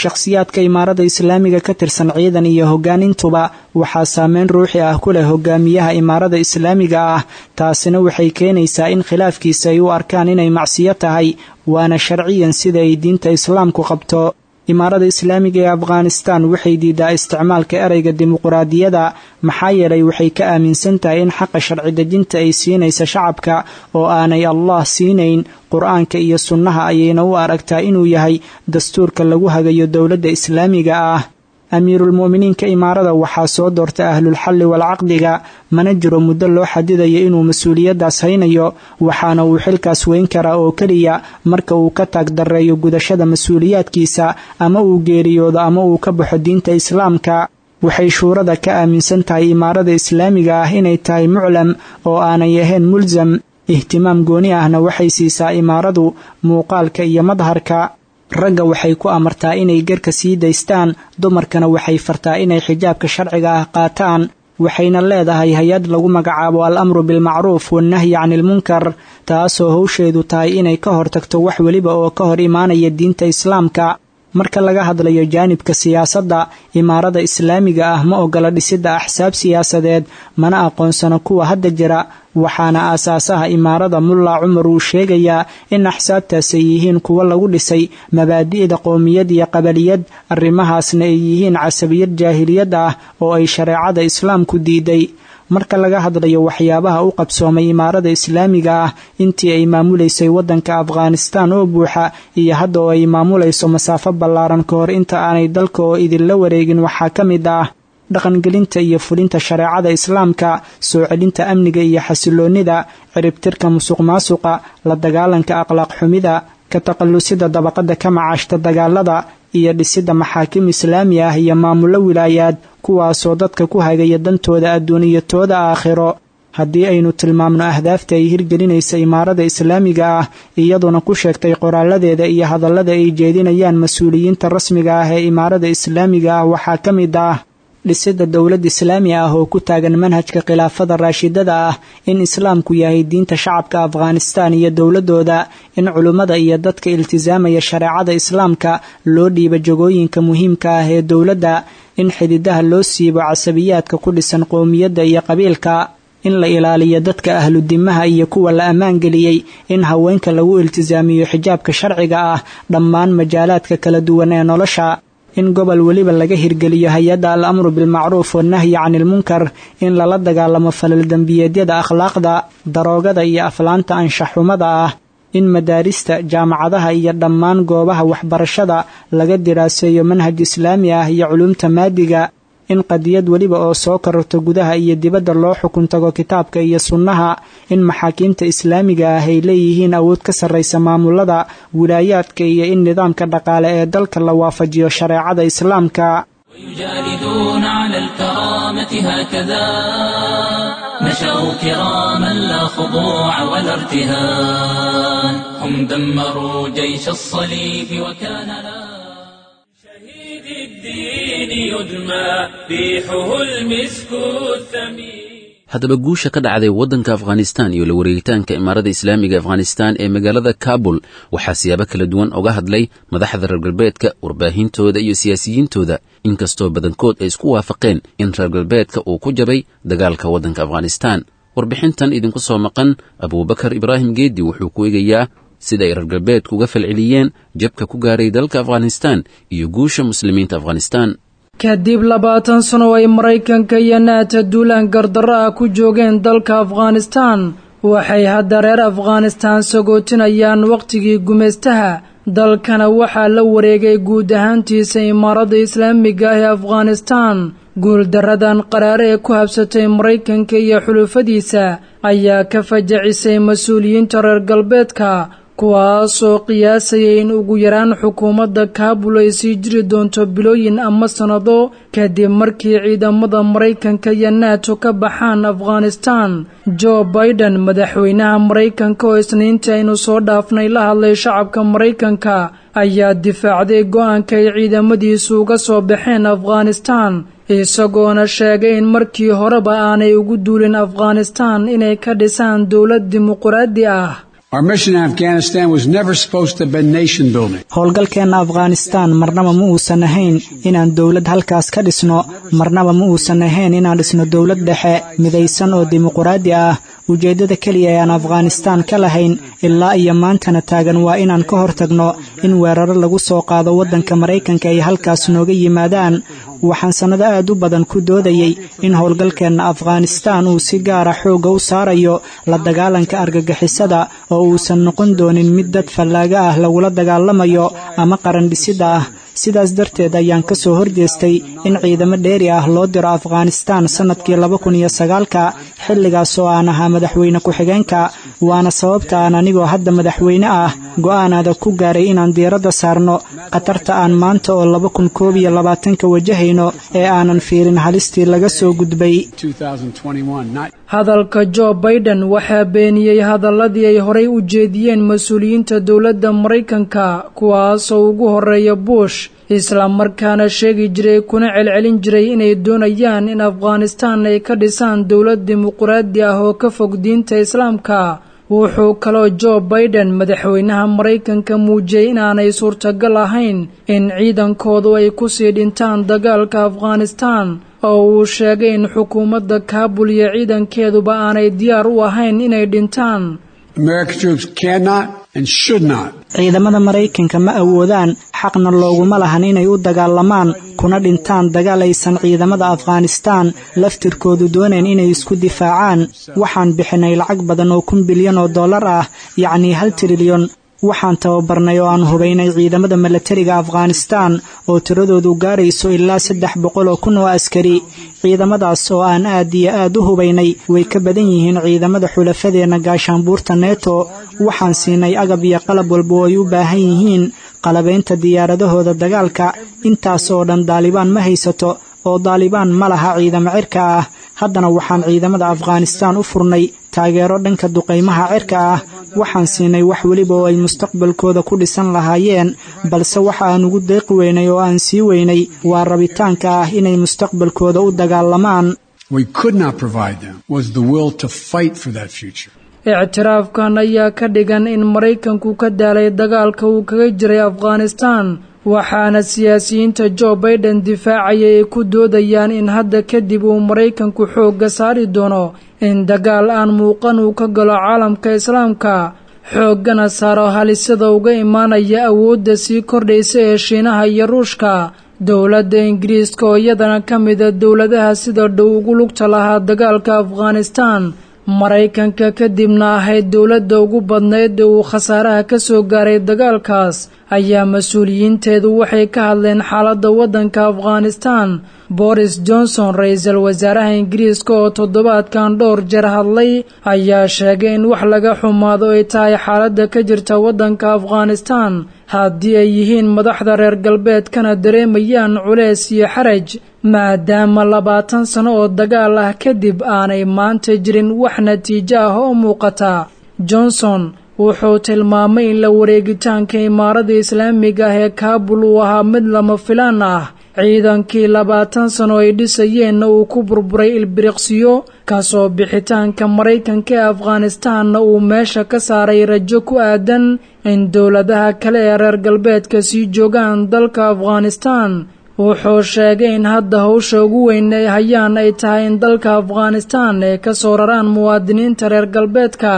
Shakhsiyaadka imaarada islaamiga ka tirsan, ciidan iyo hoggaan intuba, waxaa saameyn ruuxi ah ku leh hogaamiyaha imaarada islaamiga ah. Taasina waxay keenaysaa in khilaafkiisa ay u arkaan inay macsiyo tahay, waana sharciyan sida ay diinta islaamku qabto. Imaarada islaamiga ee Afghanistan waxay diidaa isticmaalka ereyga dimuquraadiyada, maxaa yeelay waxay ka aaminsan tahay in xaqa sharci dejinta ay siinaysa shacabka oo aanay Allah siinayn. Qur-aanka iyo sunnaha ayayna u aragtaa inuu yahay dastuurka lagu hagayo dowladda islaamiga ah. Amiirulmu'miniinka imaarada waxaa soo doorta ahlulxalli walcaqdiga, mana jiro muddo loo xadidayo inuu mas-uuliyaddaas haynayo, waxaana uu xilkaas weyn karaa oo keliya marka uu ka taag darreeyo gudashada mas-uuliyaadkiisa, ama uu geeriyoodo, ama uu ka baxo diinta islaamka. Waxay shuurada ka aaminsan tahay imaarada islaamiga ah inay tahay muclam oo aanay ahayn mulsam. Ihtimaam gooni ahna waxay siisaa imaaradu muuqaalka iyo madharka. Ragga waxay ku amartaa inay garka sii daystaan, dumarkana waxay fartaa inay xijaabka sharciga ah qaataan. Waxayna leedahay hay-ad lagu magacaabo al-amru bilmacruuf wannahyi canilmunkar, taasoo howsheedu tahay inay ka hortagto wax weliba oo ka hor imaanaya diinta islaamka. Marka laga hadlayo jaanibka siyaasadda, imaarada islaamiga ah ma ogola dhisidda axsaab siyaasadeed, mana aqoonsano kuwa hadda jira. Waxaana aasaasaha imaarada Mulla Cumar uu sheegayaa in axsaabtaas ay yihiin kuwo lagu dhisay mabaadi'da qowmiyad iyo qabaliyad, arrimahaasna ay yihiin casabiyad jaahiliyad ah oo ay shareecada islaamku diiday. Marka laga hadlayo waxyaabaha u qabsoomay imaarada islaamiga ah intii ay maamulaysay waddanka Afghanistan oo buuxa iyo hadda oo ay maamulayso masaafo ballaaran ka hor inta aanay dalka oo idinla wareegin, waxaa ka mid ah Dhaqangelinta iyo fulinta shareecada islaamka, soo celinta amniga iyo xasiloonnida, ciribtirka musuqmaasuqa, la dagaalanka akhlaaq xumida, ka taqallusida dabaqada ka macaashta dagaalada, iyo dhisidda maxaakim islaami ah iyo maamullo wilaayaad, kuwaasoo dadka ku hagaya dantooda adduuniyatooda aakhiro. Haddii aynu tilmaamno ahdaafta ay hirgelinaysa imaarada islaamiga ah, iyaduna ku sheegtay qoraaladeeda iyo hadallada ay jeedinayaan mas-uuliyiinta rasmiga ah ee imaarada islaamiga ah, waxaa ka mid ah dhisidda dowlad islaami ah oo ku taagan manhajka khilaafada raashidada ah, in islaamku yahay diinta shacabka Afghanistan iyo dowladooda, in culummada iyo dadka iltisaamaya shareecada islaamka loo dhiiba jagooyinka muhiimka ah ee dowladda, in xididaha loo siibo casabiyaadka ku dhisan qowmiyadda iyo qabiilka, in la ilaaliyo dadka ahludimaha iyo kuwa la ammaangeliyey, in haweenka lagu iltisaamiyo xijaabka sharciga ah dhammaan majaalaadka kala duwan ee nolosha, in gobol weliba laga hirgeliyo hay-adda al-amru bilmacruuf wannahyi canilmunkar, in lala dagaalamo falal dembiyeedyada akhlaaqda, daroogada iyo aflaanta anshaxxumada ah, in madaarista, jaamacadaha iyo dhammaan goobaha waxbarashada laga diraaseeyo manhaj islaami ah iyo culuumta maadiga, in qadiyad weliba oo soo kororto gudaha iyo dibadda loo xukun tago kitaabka iyo sunnaha, in maxaakiimta islaamiga ah ay leeyihiin awood ka sarraysa maamulada wilaayaadka, iyo in nidaamka dhaqaale ee dalka la waafajiyo shareecada islaamka. ويجالدون على الكرامة هكذا نشأوا كراما لا خضوع ولا ارتهان هم دمروا جيش الصليب وكان لا شهيد الدين يدمى ريحه المسك الثمين. Haddaba guusha ka dhacday waddanka Afghanistan iyo la wareegitaanka imaarada islaamiga Afghanistan ee magaalada Kabul waxaa siyaabo kala duwan uga hadlay madaxda reer galbeedka, warbaahintooda iyo siyaasiyiintooda, inkastoo badankood ay isku waafaqeen in reer galbeedka uu ku jabay dagaalka waddanka Afghanistan. Warbixintan idinku soo maqan, Abuubakar Ibraahim Geedi wuxuu ku eegayaa sida ay reer galbeedku uga falceliyeen jabka ku gaaray dalka Afghanistan iyo guusha muslimiinta Afghanistan. Kadib labaatan sano ay Maraykanka iyo naata duulaan gardarro ah ku joogeen dalka Afghanistan, waxay hadda reer Afghanistan sagootinayaan wakhtigii gumaystaha. Dalkana waxaa la wareegay guud ahaantiisa imaaradda islaamiga ah ee Afghanistan. Guuldaradan qaraare ee ku habsatay Maraykanka iyo xulufadiisa ayaa ka fajacisay mas-uuliyiinta reer galbeedka, kuwaasoo qiyaasayay in ugu yaraan xukuumadda Kaabul ay sii jiri doonto bilooyin ama sannado kadib markii ciidamada Maraykanka iyo nato ka baxaan Afghanistan. Joe Biden, madaxweynaha Maraykanka, oo isniintii aynu soo dhaafnay la hadlay shacabka Maraykanka, ayaa difaacday go-aanka ay ciidamadiisu uga soo baxeen Afghanistan, isagoona sheegay in markii horeba aanay ugu duulin Afghanistan inay ka dhisaan dowlad dimuquraadi ah. Our mission in Afghanistan was never supposed to have been nation building. Howlgalkeenna Afghanistan marnaba ma uusan ahayn inaan dowlad halkaas ka dhisno, marnaba ma uusan ahayn inaan dhisno dowlad dhexe midaysan oo dimuquraadi ah. Ujeeddada keliya ee aan Afghanistan ka lahayn ilaa iyo maantana taagan waa inaan ka hortagno in weeraro lagu soo qaado waddanka Maraykanka ay halkaas nooga yimaadaan. Waxaan sannado aad u badan ku doodayay in howlgalkeenna Afghanistan uu si gaara xoogga u saarayo la dagaalanka argagixisada, oo uusan noqon doonin mid dad fallaaga ah lagula dagaalamayo ama qaran dhisidda ah. Sidaas darteed ayaan ka soo horjeestay in ciidamo dheeri ah loo diro Afghanistan sannadkii laba kun iyo sagaalka, xilligaas oo aan ahaa madaxweyne ku-xigeenka. Waana sababta aan anigoo hadda madaxweyne ah go'aan adag ku gaaray inaan diiradda saarno khatarta aan maanta oo laba kun koob iyo labaatanka wajahayno ee aanan fiirin halistii laga soo gudbay. Hadalka Joe Biden waxaa beeniyey hadalladii ay horay u jeediyeen mas-uuliyiinta dowladda Maraykanka, kuwaasoo ugu horeeya Bush, islamarkaana sheegi jiray kuna celcelin jiray inay doonayaan in Afghanistan ay ka dhisaan dowlad dimuquraadi ah oo ka fog diinta islaamka. Wuxuu kaloo Joe Biden, madaxweynaha Maraykanka, muujiyey inaanay suurtagal ahayn in ciidankoodu ay kusii dhintaan dagaalka Afghanistan, oo uu sheegay in xukuumadda Kaabul iyo ciidankeeduba aanay diyaar u ahayn inay dhintaan. American troops cannot and should not. Ciidamada Maraykanka ma awoodaan, xaqna looguma lahan inay u dagaalamaan kuna dhintaan dagaal aysan ciidamada Afghanistan laftirkoodu doonayn inay isku difaacaan. Waxaan bixinay lacag badan oo kun bilyan oo dollar ah, yacnii hal trilyan, Waxaan tababarnay oo aan hubaynay ciidamada milatariga Afghanistan oo tiradoodu gaarayso ilaa saddex boqol oo kun oo askari. Ciidamadaas oo aan aad iyo aad u hubaynay way ka badan yihiin ciidamada xulafadeenna gaashaanbuurta neto. Waxaan siinay agab iyo qalab walba oo ay u baahan yihiin qalabaynta diyaaradahooda dagaalka. Intaas oo dhan Daalibaan ma haysato, oo Daalibaan ma laha ciidamo cirka ah. Haddana waxaan ciidamada Afghanistan u furnay taageero dhanka duqaymaha cirka ah. Waxaan siinay wax weliba oo ay mustaqbalkooda ku dhisan lahaayeen, balse waxa aan ugu deeqi weynay oo aan sii weynay waa rabitaanka ah inay mustaqbalkooda u dagaalamaan. We could not provide them was the will to fight for that future. Ictiraafkan ayaa ka dhigan in Maraykanku ka daalay dagaalka uu kaga jiray Afghanistan, waxaana siyaasiyiinta Joe Biden difaacaya ay ku doodayaan in hadda kadib uu Maraykanku xoogga saari doono in dagaal aan muuqan uu ka galo caalamka Islaamka, xooggana saaro halisada uga imaanaya awoodda sii kordhaysa ee Shiinaha iyo Ruushka. Dowladda Ingiriiska oo iyadana ka mida dowladaha sida dhow ugu lugta lahaa dagaalka Afghanistan, Maraykanka kadibna ahayd dowladda ugu badnayd ee uu khasaaraha ka soo gaaray dagaalkaas, ayaa mas-uuliyiinteedu waxay ka hadleen xaaladda waddanka Afghanistan. Boris Johnson, ra-iisul wasaaraha Ingiriiska oo toddobaadkan dhowr jeer hadlay, ayaa sheegay in wax laga xumaado ay tahay xaaladda ka jirta waddanka Afghanistan, haddii ay yihiin madaxda reer galbeedkana dareemayaan culeys iyo xaraj, maadaama labaatan sano oo dagaal ah kadib aanay maanta jirin wax natiijo ah oo muuqata. Johnson wuxuu tilmaamay in la wareegitaanka imaarada Islaamiga ah ee Kaabul uu ahaa mid lama filaan ah, ciidankii labaatan sano ay dhisayeenna uu ku burburay ilbiriqsiyo, kasoo bixitaanka Maraykanka ee Afghanistanna uu meesha ka saaray rajo ku aadan in dowladaha kale ee reer galbeedka sii joogaan dalka Afghanistan. Wuxuu sheegay in hadda howsha ugu weyn ay hayaan ay tahay in dalka Afghanistan ay ka soo raraan muwaadiniinta reer galbeedka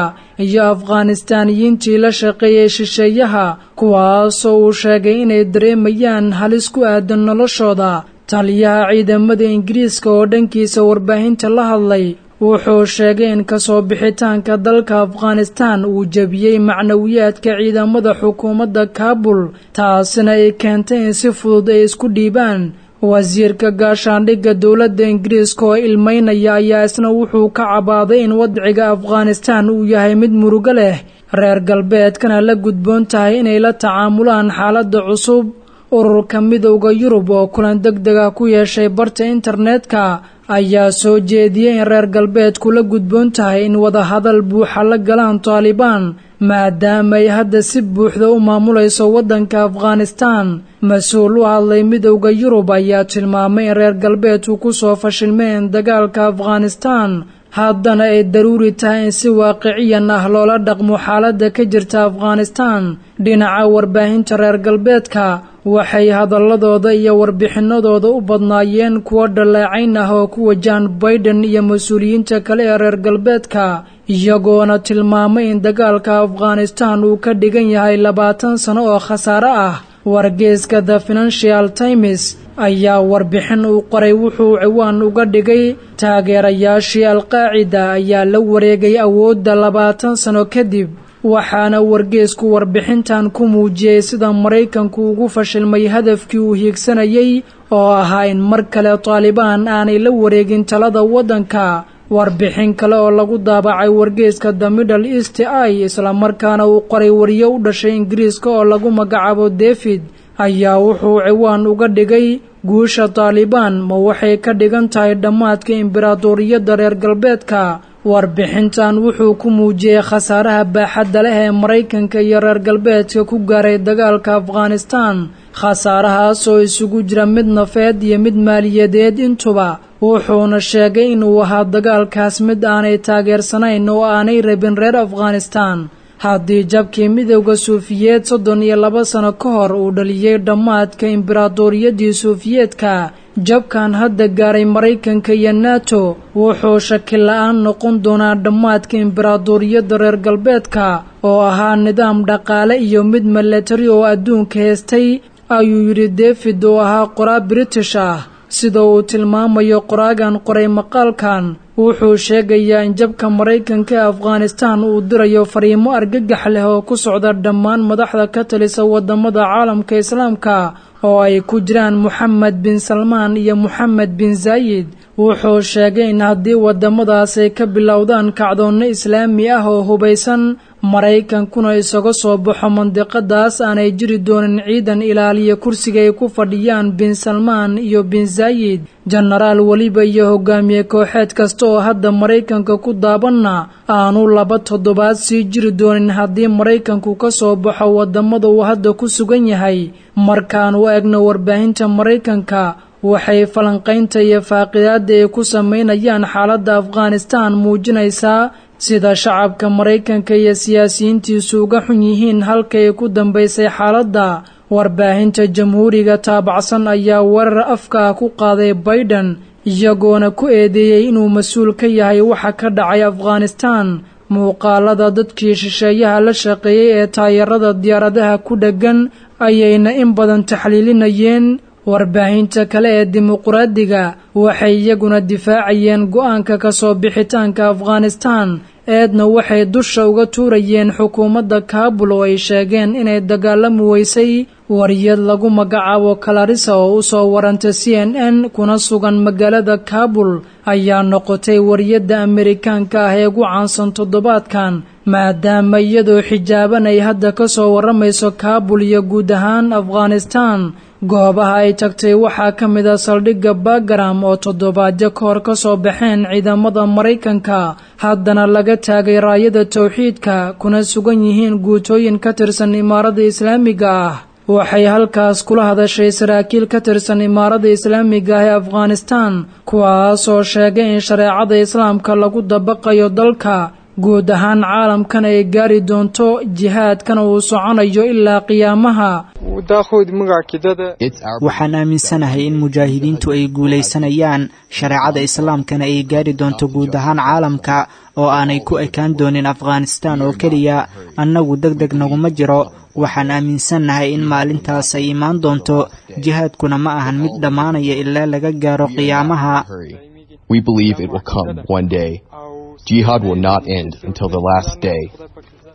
iyo Afghanistaaniyiintii la shaqeeyay shisheeyaha, kuwaasoo uu sheegay inay dareemayaan halis ku aadan noloshooda. Taliyaha ciidamada Ingiriiska oo dhankiisa warbaahinta la hadlay wuxuu sheegay in kasoo bixitaanka dalka Afghanistan uu jebiyey macnawiyaadka ciidamada xukuumadda Kaabul, taasina ay keentay in si fudud ay isku dhiibaan. Wasiirka gaashaandhigga dowladda Ingiriiska oo ilmeynaya ayaa isna wuxuu ka cabaaday in wadciga Afghanistan uu yahay mid murugo leh, reer galbeedkana la gudboon tahay inay la tacaamulaan xaaladda cusub. Ururka Midowda Yurub oo kulan degdeg ah ku yeeshay barta internetka ayaa soo jeediyey in reer galbeedku la gudboon tahay in wadahadal buuxa la galaan Taalibaan, maadaama ay hadda si buuxda u maamulayso waddanka Afghanistan. Mas-uul u hadlay Midowda Yurub ayaa tilmaamay in reer galbeedku ku soo fashilmeen dagaalka Afghanistan, haddana ay daruuri tahay in si waaqiciyan ah loola dhaqmo xaaladda ka jirta Afghanistan. Dhinaca warbaahinta reer galbeedka waxay hadalladooda iyo warbixinadooda u badnaayeen kuwo dhaleecayn ah oo ku wajahan Biden iyo mas-uuliyiinta kale ee reer galbeedka, iyagoona tilmaamay in dagaalka Afghanistan uu ka dhigan yahay labaatan sano oo khasaare ah. Wargeyska The Financial Times ayaa warbixin uu qoray wuxuu ciwaan uga dhigay taageerayaashii Al-Qaacida ayaa la wareegay awoodda labaatan sano kadib, waxaana wargeysku warbixintan ku muujiyey sida Maraykanku ugu fashilmay hadafkii uu hiigsanayay oo ahaa in mar kale Taalibaan aanay la wareegin talada waddanka. Warbixin kale oo lagu daabacay wargeyska The Middle East Eye, islamarkaana uu qoray wariyo u dhashay Ingiriiska oo lagu magacaabo David, ayaa wuxuu ciwaan uga dhigay guusha Taalibaan ma waxay ka dhigan tahay dhammaadka imberaatooriyadda reer galbeedka. Warbixintan wuxuu ku muujiyey khasaaraha baaxadda leh ee Maraykanka iyo reer galbeedka ku gaaray dagaalka Afghanistan, khasaarahaas oo isugu jira mid nafeed iyo mid maaliyadeed intuba. Wuxuuna sheegay inuu ahaa dagaalkaas mid aanay taageersanayn oo aanay rabin reer Afghanistan. Haddii jabkii Midowda Suufiyeed soddon iyo laba sano ka hor uu dhaliyey dhammaadka imberaatooriyaddii Suufiyeedka, jabkan hadda gaaray Maraykanka iyo NATO wuxuu shaki la-aan noqon doonaa dhammaadka imberaatooriyadda reer galbeedka oo ahaa nidaam dhaqaale iyo mid milatari oo adduunka heestay, ayuu yidhi David oo ahaa qoraa British ah. Sida uu tilmaamayo qoraagan qoray maqaalkan, Wuxuu sheegayaa in jabka Maraykanka ee Afghanistan uu dirayo fariimo argagax leh oo ku socda dhammaan madaxda ka talisa wadamada caalamka islaamka oo ay ku jiraan Moxamed bin Salmaan iyo Moxamed bin Zaayid. Wuxuu sheegay in haddii wadamadaas ay ka bilowdaan kacdoonno islaami ah oo hubaysan, Maraykankuna isaga soo baxo mandiqadaas, aanay jiri doonin ciidan ilaaliya kursiga ay ku fadhiyaan bin Salmaan iyo bin Zaayid. Jenaraal weliba iyo hogaamiye kooxeed kasta oo hadda Maraykanka ku daabanna aanu laba toddobaad sii jiri doonin haddii Maraykanku ka soo baxo wadamada uu hadda ku sugan yahay. Markaanu eegno warbaahinta Maraykanka, waxay falanqaynta iyo faaqidaadda ay ku sameynayaan xaaladda Afghanistan muujinaysaa sida shacabka Maraykanka iyo siyaasiyiintiisu uga xun yihiin halkay ku dambaysay xaaladda. Warbaahinta jamhuuriga taabacsan ayaa weerar afka ah ku qaaday Biden, iyagoona ku eedeeyey inuu mas-uul ka yahay waxa ka dhacay Afghanistan. Muuqaalada dadkii shisheeyaha la shaqeeyey ee taayarada diyaaradaha ku dheggan ayayna in badan taxliilinayeen. Warbaahinta kale ee dimuqraadiga waxay iyaguna difaacayeen go'aanka ka soo bixitaanka Afghanistan, eedna waxay dusha uga tuurayeen xukuumadda Kaabul oo ay sheegeen inay dagaalami weysay. Wariyad lagu magacaabo Clarissa oo u soo warantay C N N kuna sugan magaalada Kaabul ayaa noqotay wariyadda Amerikaanka ah ee ugu caansan toddobaadkan, maadaama iyadoo xijaaban ay hadda ka soo warramayso Kaabul iyo guud ahaan Afghanistan. Goobaha ay tagtay waxaa ka mid ah saldhigga Bagram oo toddobaadyo ka hor ka soo baxeen ciidamada Maraykanka, haddana laga taagay raayada tawxiidka kuna sugan yihiin guutooyin ka tirsan Imaaradda Islaamiga ah. Waxay halkaas kula hadashay saraakiil ka tirsan Imaaradda Islaamiga ah ee Afghanistan, kuwaasoo sheegay in shareecada islaamka lagu dabaqayo dalka, guud ahaan caalamkan ay gaari doonto, jihaadkana uu soconayo ilaa qiyaamaha. Waxaan aaminsanahay in mujaahidiintu ay guulaysanayaan, shareecada islaamkana ay gaari doonto guud ahaan caalamka oo aanay ku ekaan doonin Afghanistan oo keliya. Annagu deg deg naguma jiro. Waxaan aaminsannahay in maalintaas ay imaan doonto. Jihaadkuna ma ahan mid dhammaanaya ilaa laga gaaro qiyaamaha. We believe it will come one day. Jihad will not end until the last day.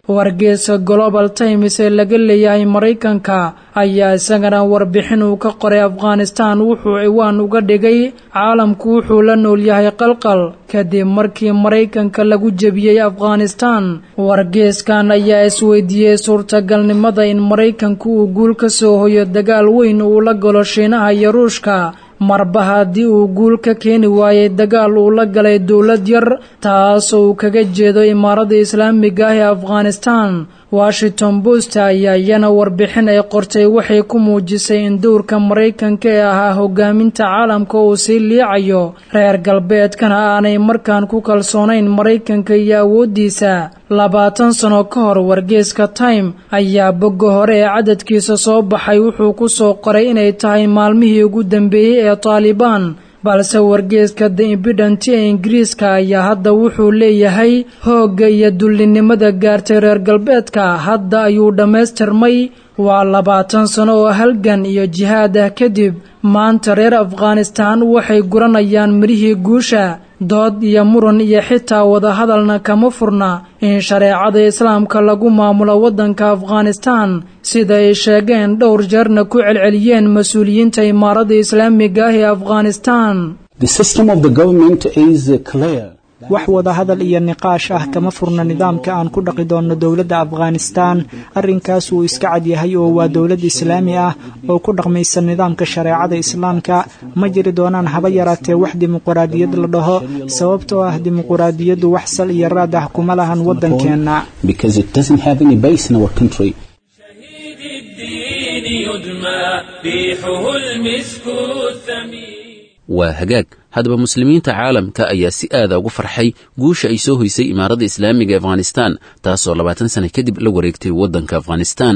Wargeyska Global Times ee laga leeyahay Maraykanka ayaa isagana warbixin uu ka qoray Afghanistan wuxuu ciwaan uga dhigay caalamku wuxuu la nool yahay qalqal kadib markii Maraykanka lagu jebiyey Afghanistan. Wargeyskan ayaa isweydiiyey suurtagalnimada in Maraykanku uu guul ka soo hoyo dagaal weyn uu la galo Shiinaha iyo Ruushka, marba haddii uu guul ka keeni waayey dagaal uu la galay dowlad yar taasoo uu kaga jeedo Imaaradda Islaamiga ah ee Afghanistan. Washington Post ayaa iyana warbixin ay qortay waxay ku muujisay in dowrka Maraykanka ee ahaa hogaaminta caalamka uu sii liicayo, reer galbeedkana aanay markaan ku kalsoonayn Maraykanka iyo awooddiisa. Labaatan sano ka hor wargeyska Time ayaa bogga hore ee cadadkiisa soo baxay wuxuu ku soo qoray inay tahay maalmihii ugu dambeeyey ee Taalibaan, balse wargeyska The Independent ee Ingiriiska ayaa hadda wuxuu leeyahay hoogga iyo dullinimada gaartay reer galbeedka hadda ayuu dhammaystirmay. Waa labaatan sano oo halgan iyo jihaad ah kadib, maanta reer Afghanistan waxay guranayaan mirihii guusha. Dood iyo muran iyo xitaa wadahadalna kama furna in shareecada islaamka lagu maamulo waddanka Afghanistan, sida ay sheegeen dhowr jeerna ku celceliyeen mas-uuliyiinta Imaaradda Islaamiga ah ee Afghanistan. Wax wadahadal iyo niqaash ah kama furna nidaamka aan ku dhaqi doonno dowladda Afghanistan. Arrinkaas wuu iska cad yahay oo waa dowlad islaami ah oo ku dhaqmaysa nidaamka shareecada islaamka. Ma jiri doonaan haba yaraatee wax dimuqraadiyad la dhaho, sababtoo ah dimuqraadiyaddu wax sal iyo raad ah kuma lahan waddankeenna. Waa hagaag. Haddaba muslimiinta caalamka ayaa si aada ugu farxay guusha ay soo hoysay Imaaradda Islaamiga Afghanistan, taasoo labaatan sano kadib la wareegtay waddanka Afghanistan.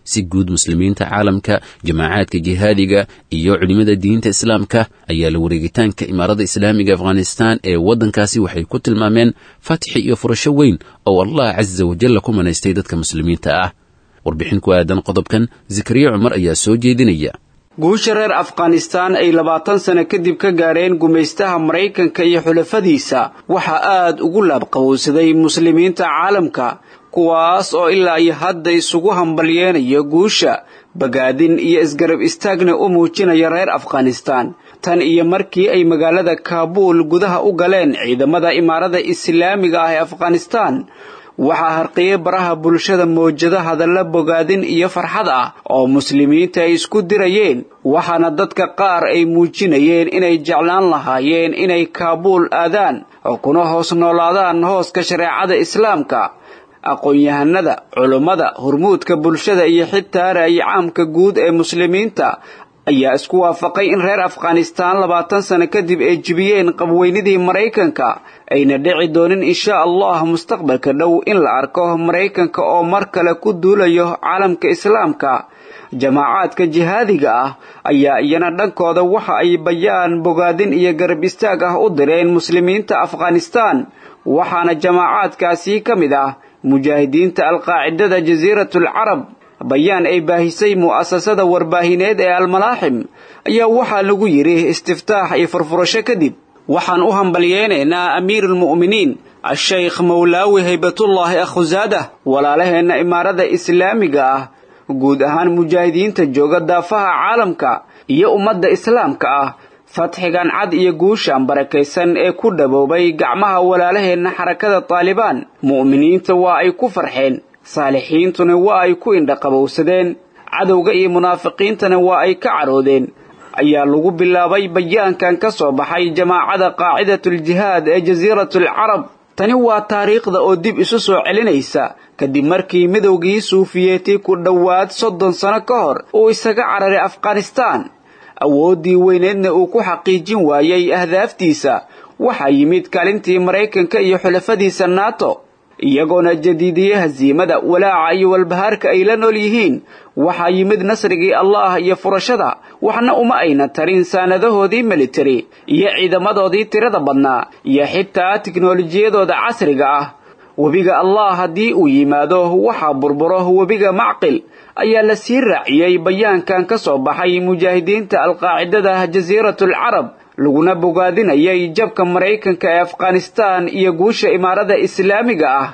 Si guud muslimiinta caalamka, jamaacaadka jihaadiga iyo culimada diinta islaamka ayaa la wareegitaanka Imaaradda Islaamiga Afghanistan ee waddankaasi waxay ku tilmaameen fatxi iyo furasho weyn oo Allah casa wajalla ku manaystay dadka muslimiinta ah. Warbixin ku aadan qodobkan Zakariya Cumar ayaa soo jeedinaya. Guusha reer Afghanistan ay labaatan sano kadib ka gaareen gumaystaha Maraykanka iyo xulafadiisa waxaa aad ugu laabqabowsaday muslimiinta caalamka, kuwaas oo ilaa iyo hadda isugu hambalyeenaya guusha, bagaadin iyo isgarab istaagna u muujinaya reer Afghanistan. Tan iyo markii ay magaalada Kaabuul gudaha u galeen ciidamada imaarada islaamiga ah ee Afghanistan, waxaa harqiyey baraha bulshada mowjado hadalla bogaadin iyo farxad ah oo muslimiinta ay isku dirayeen, waxaana dadka qaar ay muujinayeen inay jeclaan lahaayeen inay Kaabuul aadaan oo kuna hoos noolaadaan hooska shareecada islaamka. Aqoon-yahanada, culummada, hormuudka bulshada iyo xitaa ra'yi caamka guud ee muslimiinta ayaa isku waafaqay in reer Afghanistan labaatan sano kadib ay jibiyeen qabweynidii Maraykanka, ayna dhici doonin insha Allah mustaqbalka dhow in la arko Maraykanka oo mar kale ku duulayo caalamka islaamka. Jamaacaadka jihaadiga ah ayaa iyana dhankooda waxa ay bayaan bogaadin iyo garab istaag ah u direen muslimiinta Afghanistan, waxaana jamaacaadkaasi ka mid ah mujaahidiinta alqaacidada Jasiiratul Carab. Bayaan ay baahisay mu'asasada warbaahineed ee Almalaaxim ayaa waxaa lagu yidhi istiftaax iyo furfurasho kadib, waxaan u hambalyeenaynaa amiirulmu'miniin ashaykh Mawlaawi Haybatullaahi Akhusaadah, walaalaheenna imaarada islaamiga ah, guud ahaan mujaahidiinta jooga daafaha caalamka iyo ummadda islaamka ah, fatxigan cad iyo guushan barakaysan ee ku dhaboobay gacmaha walaalaheenna xarakada Taalibaan. Mu'miniinta waa ay ku farxeen, saalixiintuna waa ay ku indhaqabowsadeen, cadowga iyo munaafiqiintana waa ay ka caroodeen, ayaa lagu bilaabay bayaankan ka soo baxay jamaacada qaacidatul jihaad ee Jasiiratul Carab. Tani waa taariikhda oo dib isu soo celinaysa kadib markii midowgii Suufiyeeti ku dhowaad soddon sano ka hor uu isaga cararay Afghanistan, awooddii weyneedna uu ku xaqiijin waayey ahdaaftiisa. Waxaa yimid kaalintii Maraykanka iyo xulafadiisa NATO, iyagoona jadiidiyey hasiimada, walaaca iyo walbahaarka ay la nool yihiin. Waxaa yimid nasrigii Allah iyo furashada, waxna uma ayna tarin saanadahoodii military iyo ciidamadoodii tirada badnaa iyo xitaa tiknoolajiyadooda casriga ah. Webiga Allah haddii uu yimaado waxaa burburo webiga Macqil, ayaa la sii raaciyey bayaankan ka soo baxay mujaahidiinta alqaacidada Jasiiratul Carab, laguna bogaadinayay jabka Maraykanka ee Afghanistan iyo guusha imaarada islaamiga ah.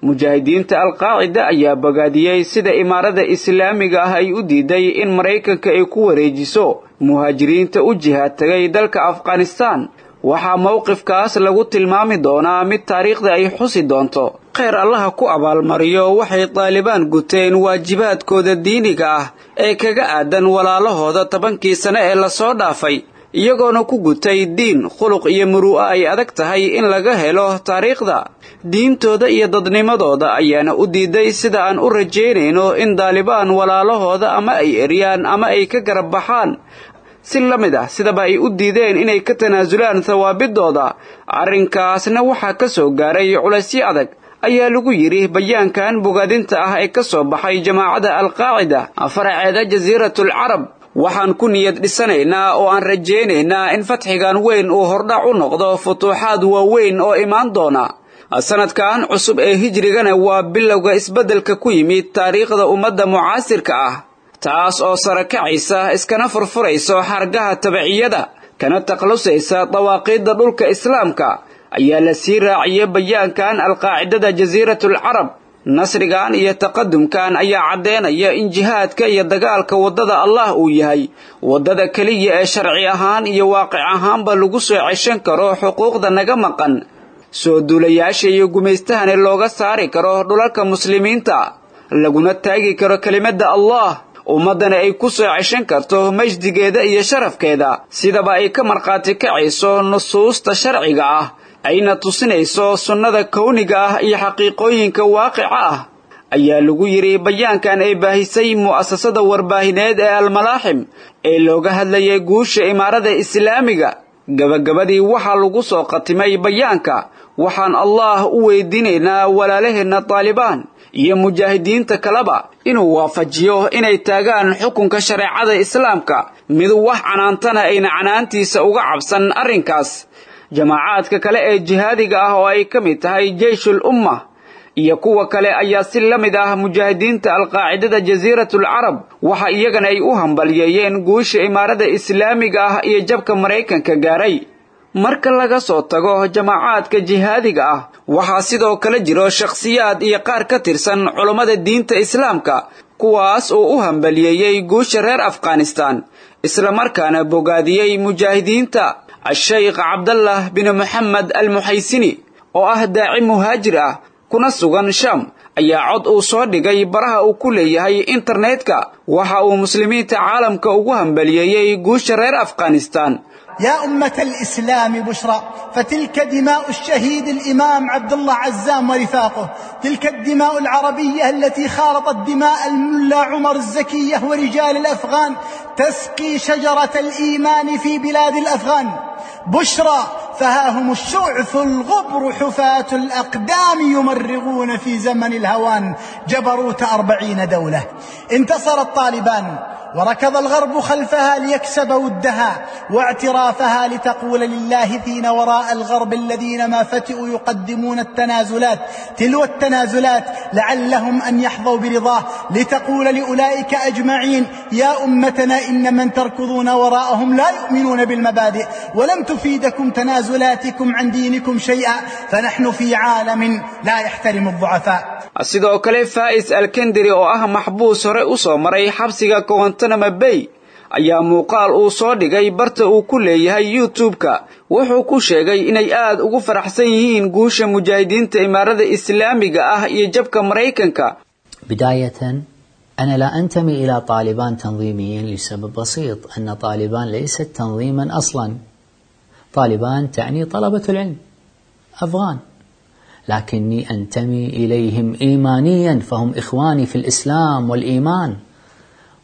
Mujaahidiinta alqaacida ayaa bogaadiyey sida imaarada islaamiga ah ay u diiday in Maraykanka ay ku wareejiso muhaajiriinta u jihaad tagay dalka Afghanistan. Waxaa mowqifkaas lagu tilmaami doonaa mid taariikhda ay xusi doonto. Kheyr Allaha ku abaalmariyo waxay Taalibaan guteen waajibaadkooda diiniga ah ee kaga aadan walaalahooda tobankii sano ee lasoo dhaafay, iyagoona ku gutay diin, khuluq iyo muru'a ay adag tahay in laga helo taariikhda. Diintooda iyo dadnimadooda ayaana u diiday sida aan u rajaynayno in Taalibaan walaalahooda ama ay eryaan ama ay ka garab baxaan, si la mid ah sidaba ay u diideen inay ka tanaasulaan thawaabidooda. Arrinkaasna waxaa ka soo gaaray culaysyo adag, ayaa lagu yidhi bayaankan bogaadinta ah ee ka soo baxay jamaacada alqaacida faraceeda Jasiiratul Carab. Waxaan ku niyad dhisanaynaa oo aan rajaynaynaa in fatxigan weyn uu hordhac u noqdo futuuxaad waaweyn oo imaan doona. Sanadkan cusub ee hijrigana waa bilowga isbeddelka ku yimid taariikhda ummadda mucaasirka ah, taas oo sare kacaysa iskana furfurayso xargaha tabiciyada, kana takhalusaysa dawaaqiidda dhulka islaamka, ayaa la sii raaciyey bayaankan alqaacidada Jasiiratul Carab. Nasrigan iyo taqadumkan ayaa caddeynaya in jihaadka iyo dagaalka waddada Allah uu yahay waddada keliya ee sharci ahaan iyo waaqic ahaanba lagu soo ceshan karo xuquuqda naga maqan, soo duulayaasha iyo gumaystahana looga saari karo dhulalka muslimiinta, laguna taagi karo kelimadda Allah, ummaddana ay ku soo ceshan karto majdigeeda iyo sharafkeeda, sidaba ay ka markhaati kacayso nusuusta sharciga ah ayna tusinayso sunnada kowniga ah iyo xaqiiqooyinka waaqica ah, ayaa lagu yidhi bayaankan ay baahisay mu'asasada warbaahineed ee Almalaaxim ee looga hadlayay guusha imaarada islaamiga. Gabagabadii waxaa lagu soo khatimay bayaanka, waxaan Allah u weydiinaynaa walaalaheenna Taalibaan iyo mujaahidiinta kaleba inuu waafajiyo inay taagaan xukunka shareecada islaamka, mid wax canaantana ayna canaantiisa uga cabsan arrinkaas. Jamaacaadka kale ee jihaadiga ah oo ay ka mid tahay Jeyshul Umma iyo kuwa kale ayaa si la mid ah mujaahidiinta alqaacidada jasiiratul carab waxa iyagana ay u hambalyeeyeen guusha imaarada islaamiga ah iyo jabka Maraykanka gaaray. Marka laga soo tago jamaacaadka jihaadiga ah, waxaa sidoo kale jiro shakhsiyaad iyo qaar ka tirsan culummada diinta islaamka kuwaas oo u hambaliyeeyey guusha reer Afghanistan isla markaana bogaadiyey mujaahidiinta. Sheikh Cabdallah bin Muhammad al-Muhaysini oo ah daaci muhaajir ah kuna sugan Sham ayaa cod uu soo dhigay baraha uu ku leeyahay internetka waxa uu muslimiinta caalamka ugu hambaliyeeyey guusha reer Afghanistan. يا أمة الإسلام بشرى، فتلك دماء الشهيد الإمام عبد الله عزام ورفاقه، تلك الدماء العربية التي خالطت دماء الملا عمر الزكية ورجال الأفغان تسقي شجرة الإيمان في بلاد الأفغان. بشرى، فها هم الشعث الغبر حفاة الأقدام يمرغون في زمن الهوان جبروت أربعين دولة. انتصر الطالبان وركض الغرب خلفها ليكسب ودها واعترافها، لتقول للاهثين وراء الغرب الذين ما فتئوا يقدمون التنازلات تلو التنازلات لعلهم أن يحظوا برضاه، لتقول لأولئك أجمعين يا أمتنا إن من تركضون وراءهم لا يؤمنون بالمبادئ ولم تفيدكم تنازلاتكم عن دينكم شيئا، فنحن في عالم لا يحترم الضعفاء. Sidoo kale Faiz Al-Kendri oo ah maxbuus hore u soo maray xabsiga Guantanamo Bay ayaa muuqaal uu soo dhigay barta uu ku leeyahay YouTube-ka wuxuu ku sheegay inay aad ugu faraxsan yihiin guusha mujaahidiinta imaarada islaamiga ah iyo jabka Maraykanka. بداية أنا لا أنتمي إلى طالبان تنظيميا لسبب بسيط، أن طالبان ليست تنظيما أصلا. طالبان تعني طلبة العلم أفغان، لكني أنتمي إليهم إيمانيا، فهم إخواني في الإسلام والإيمان،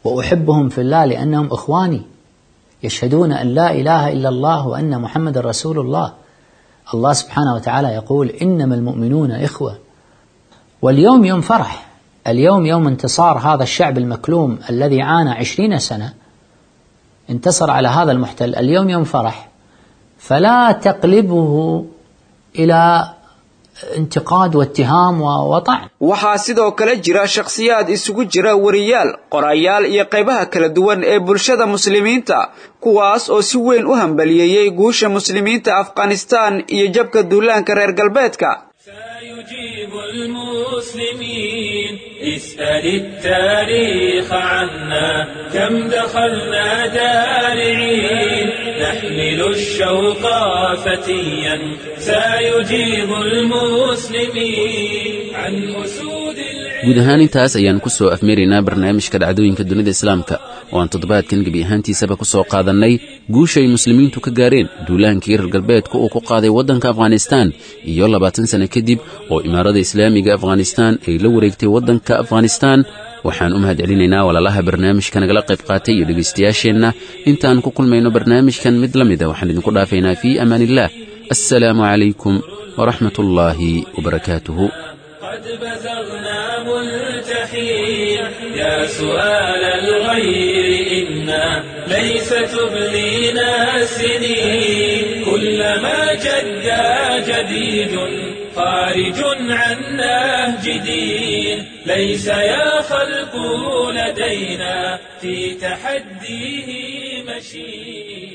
وأحبهم في الله لأنهم إخواني يشهدون أن لا إله إلا الله وأن محمد رسول الله. الله سبحانه وتعالى يقول إنما المؤمنون إخوة. واليوم يوم فرح، اليوم يوم انتصار هذا الشعب المكلوم الذي عانى عشرين سنة، انتصر على هذا المحتل. اليوم يوم فرح، فلا تقلبه إلى انتقاد واتهام وطعن. Waxaa sidoo kale jira shakhsiyaad isugu jira wariyaal, qorayaal iyo qaybaha kala duwan ee bulshada muslimiinta kuwaas oo si weyn u hambaliyeeyey guusha muslimiinta Afghanistan iyo jabka duulaanka reer galbeedka. سيجيب المسلمين اسأل التاريخ عنا كم دخلنا دارعين نحمل الشوق فتيا سيجيب المسلمين عن أسود. Guud ahaan intaas ayaan ku soo afmeeraynaa barnaamijka dhacdooyinka dunida islaamka oo aan toddobaadkan gebi ahaantiisaba ku soo qaadannay guusha ay muslimiintu ka gaareen duulaankii reer galbeedka uu ku qaaday waddanka Afghanistan iyo labaatan sano kadib oo imaarada islaamiga Afghanistan ay la wareegtay waddanka Afghanistan. Waxaan u mahadcelinaynaa walaalaha barnaamijka nagala qayb qaatay iyo dhegaystayaasheenna. Intaan ku kulmayno barnaamijkan mid la mid ah waxaan idinku dhaafaynaa fii amaanillaah. Assalaamu calaykum waraxmatullaahi wabarakaatuhu. قد بزغنا ملتحين يا سؤال الغير إنا ليس تبلينا السنين كلما جد جديد خارج عن نهج دين ليس يا خلق لدينا في تحديه مشين.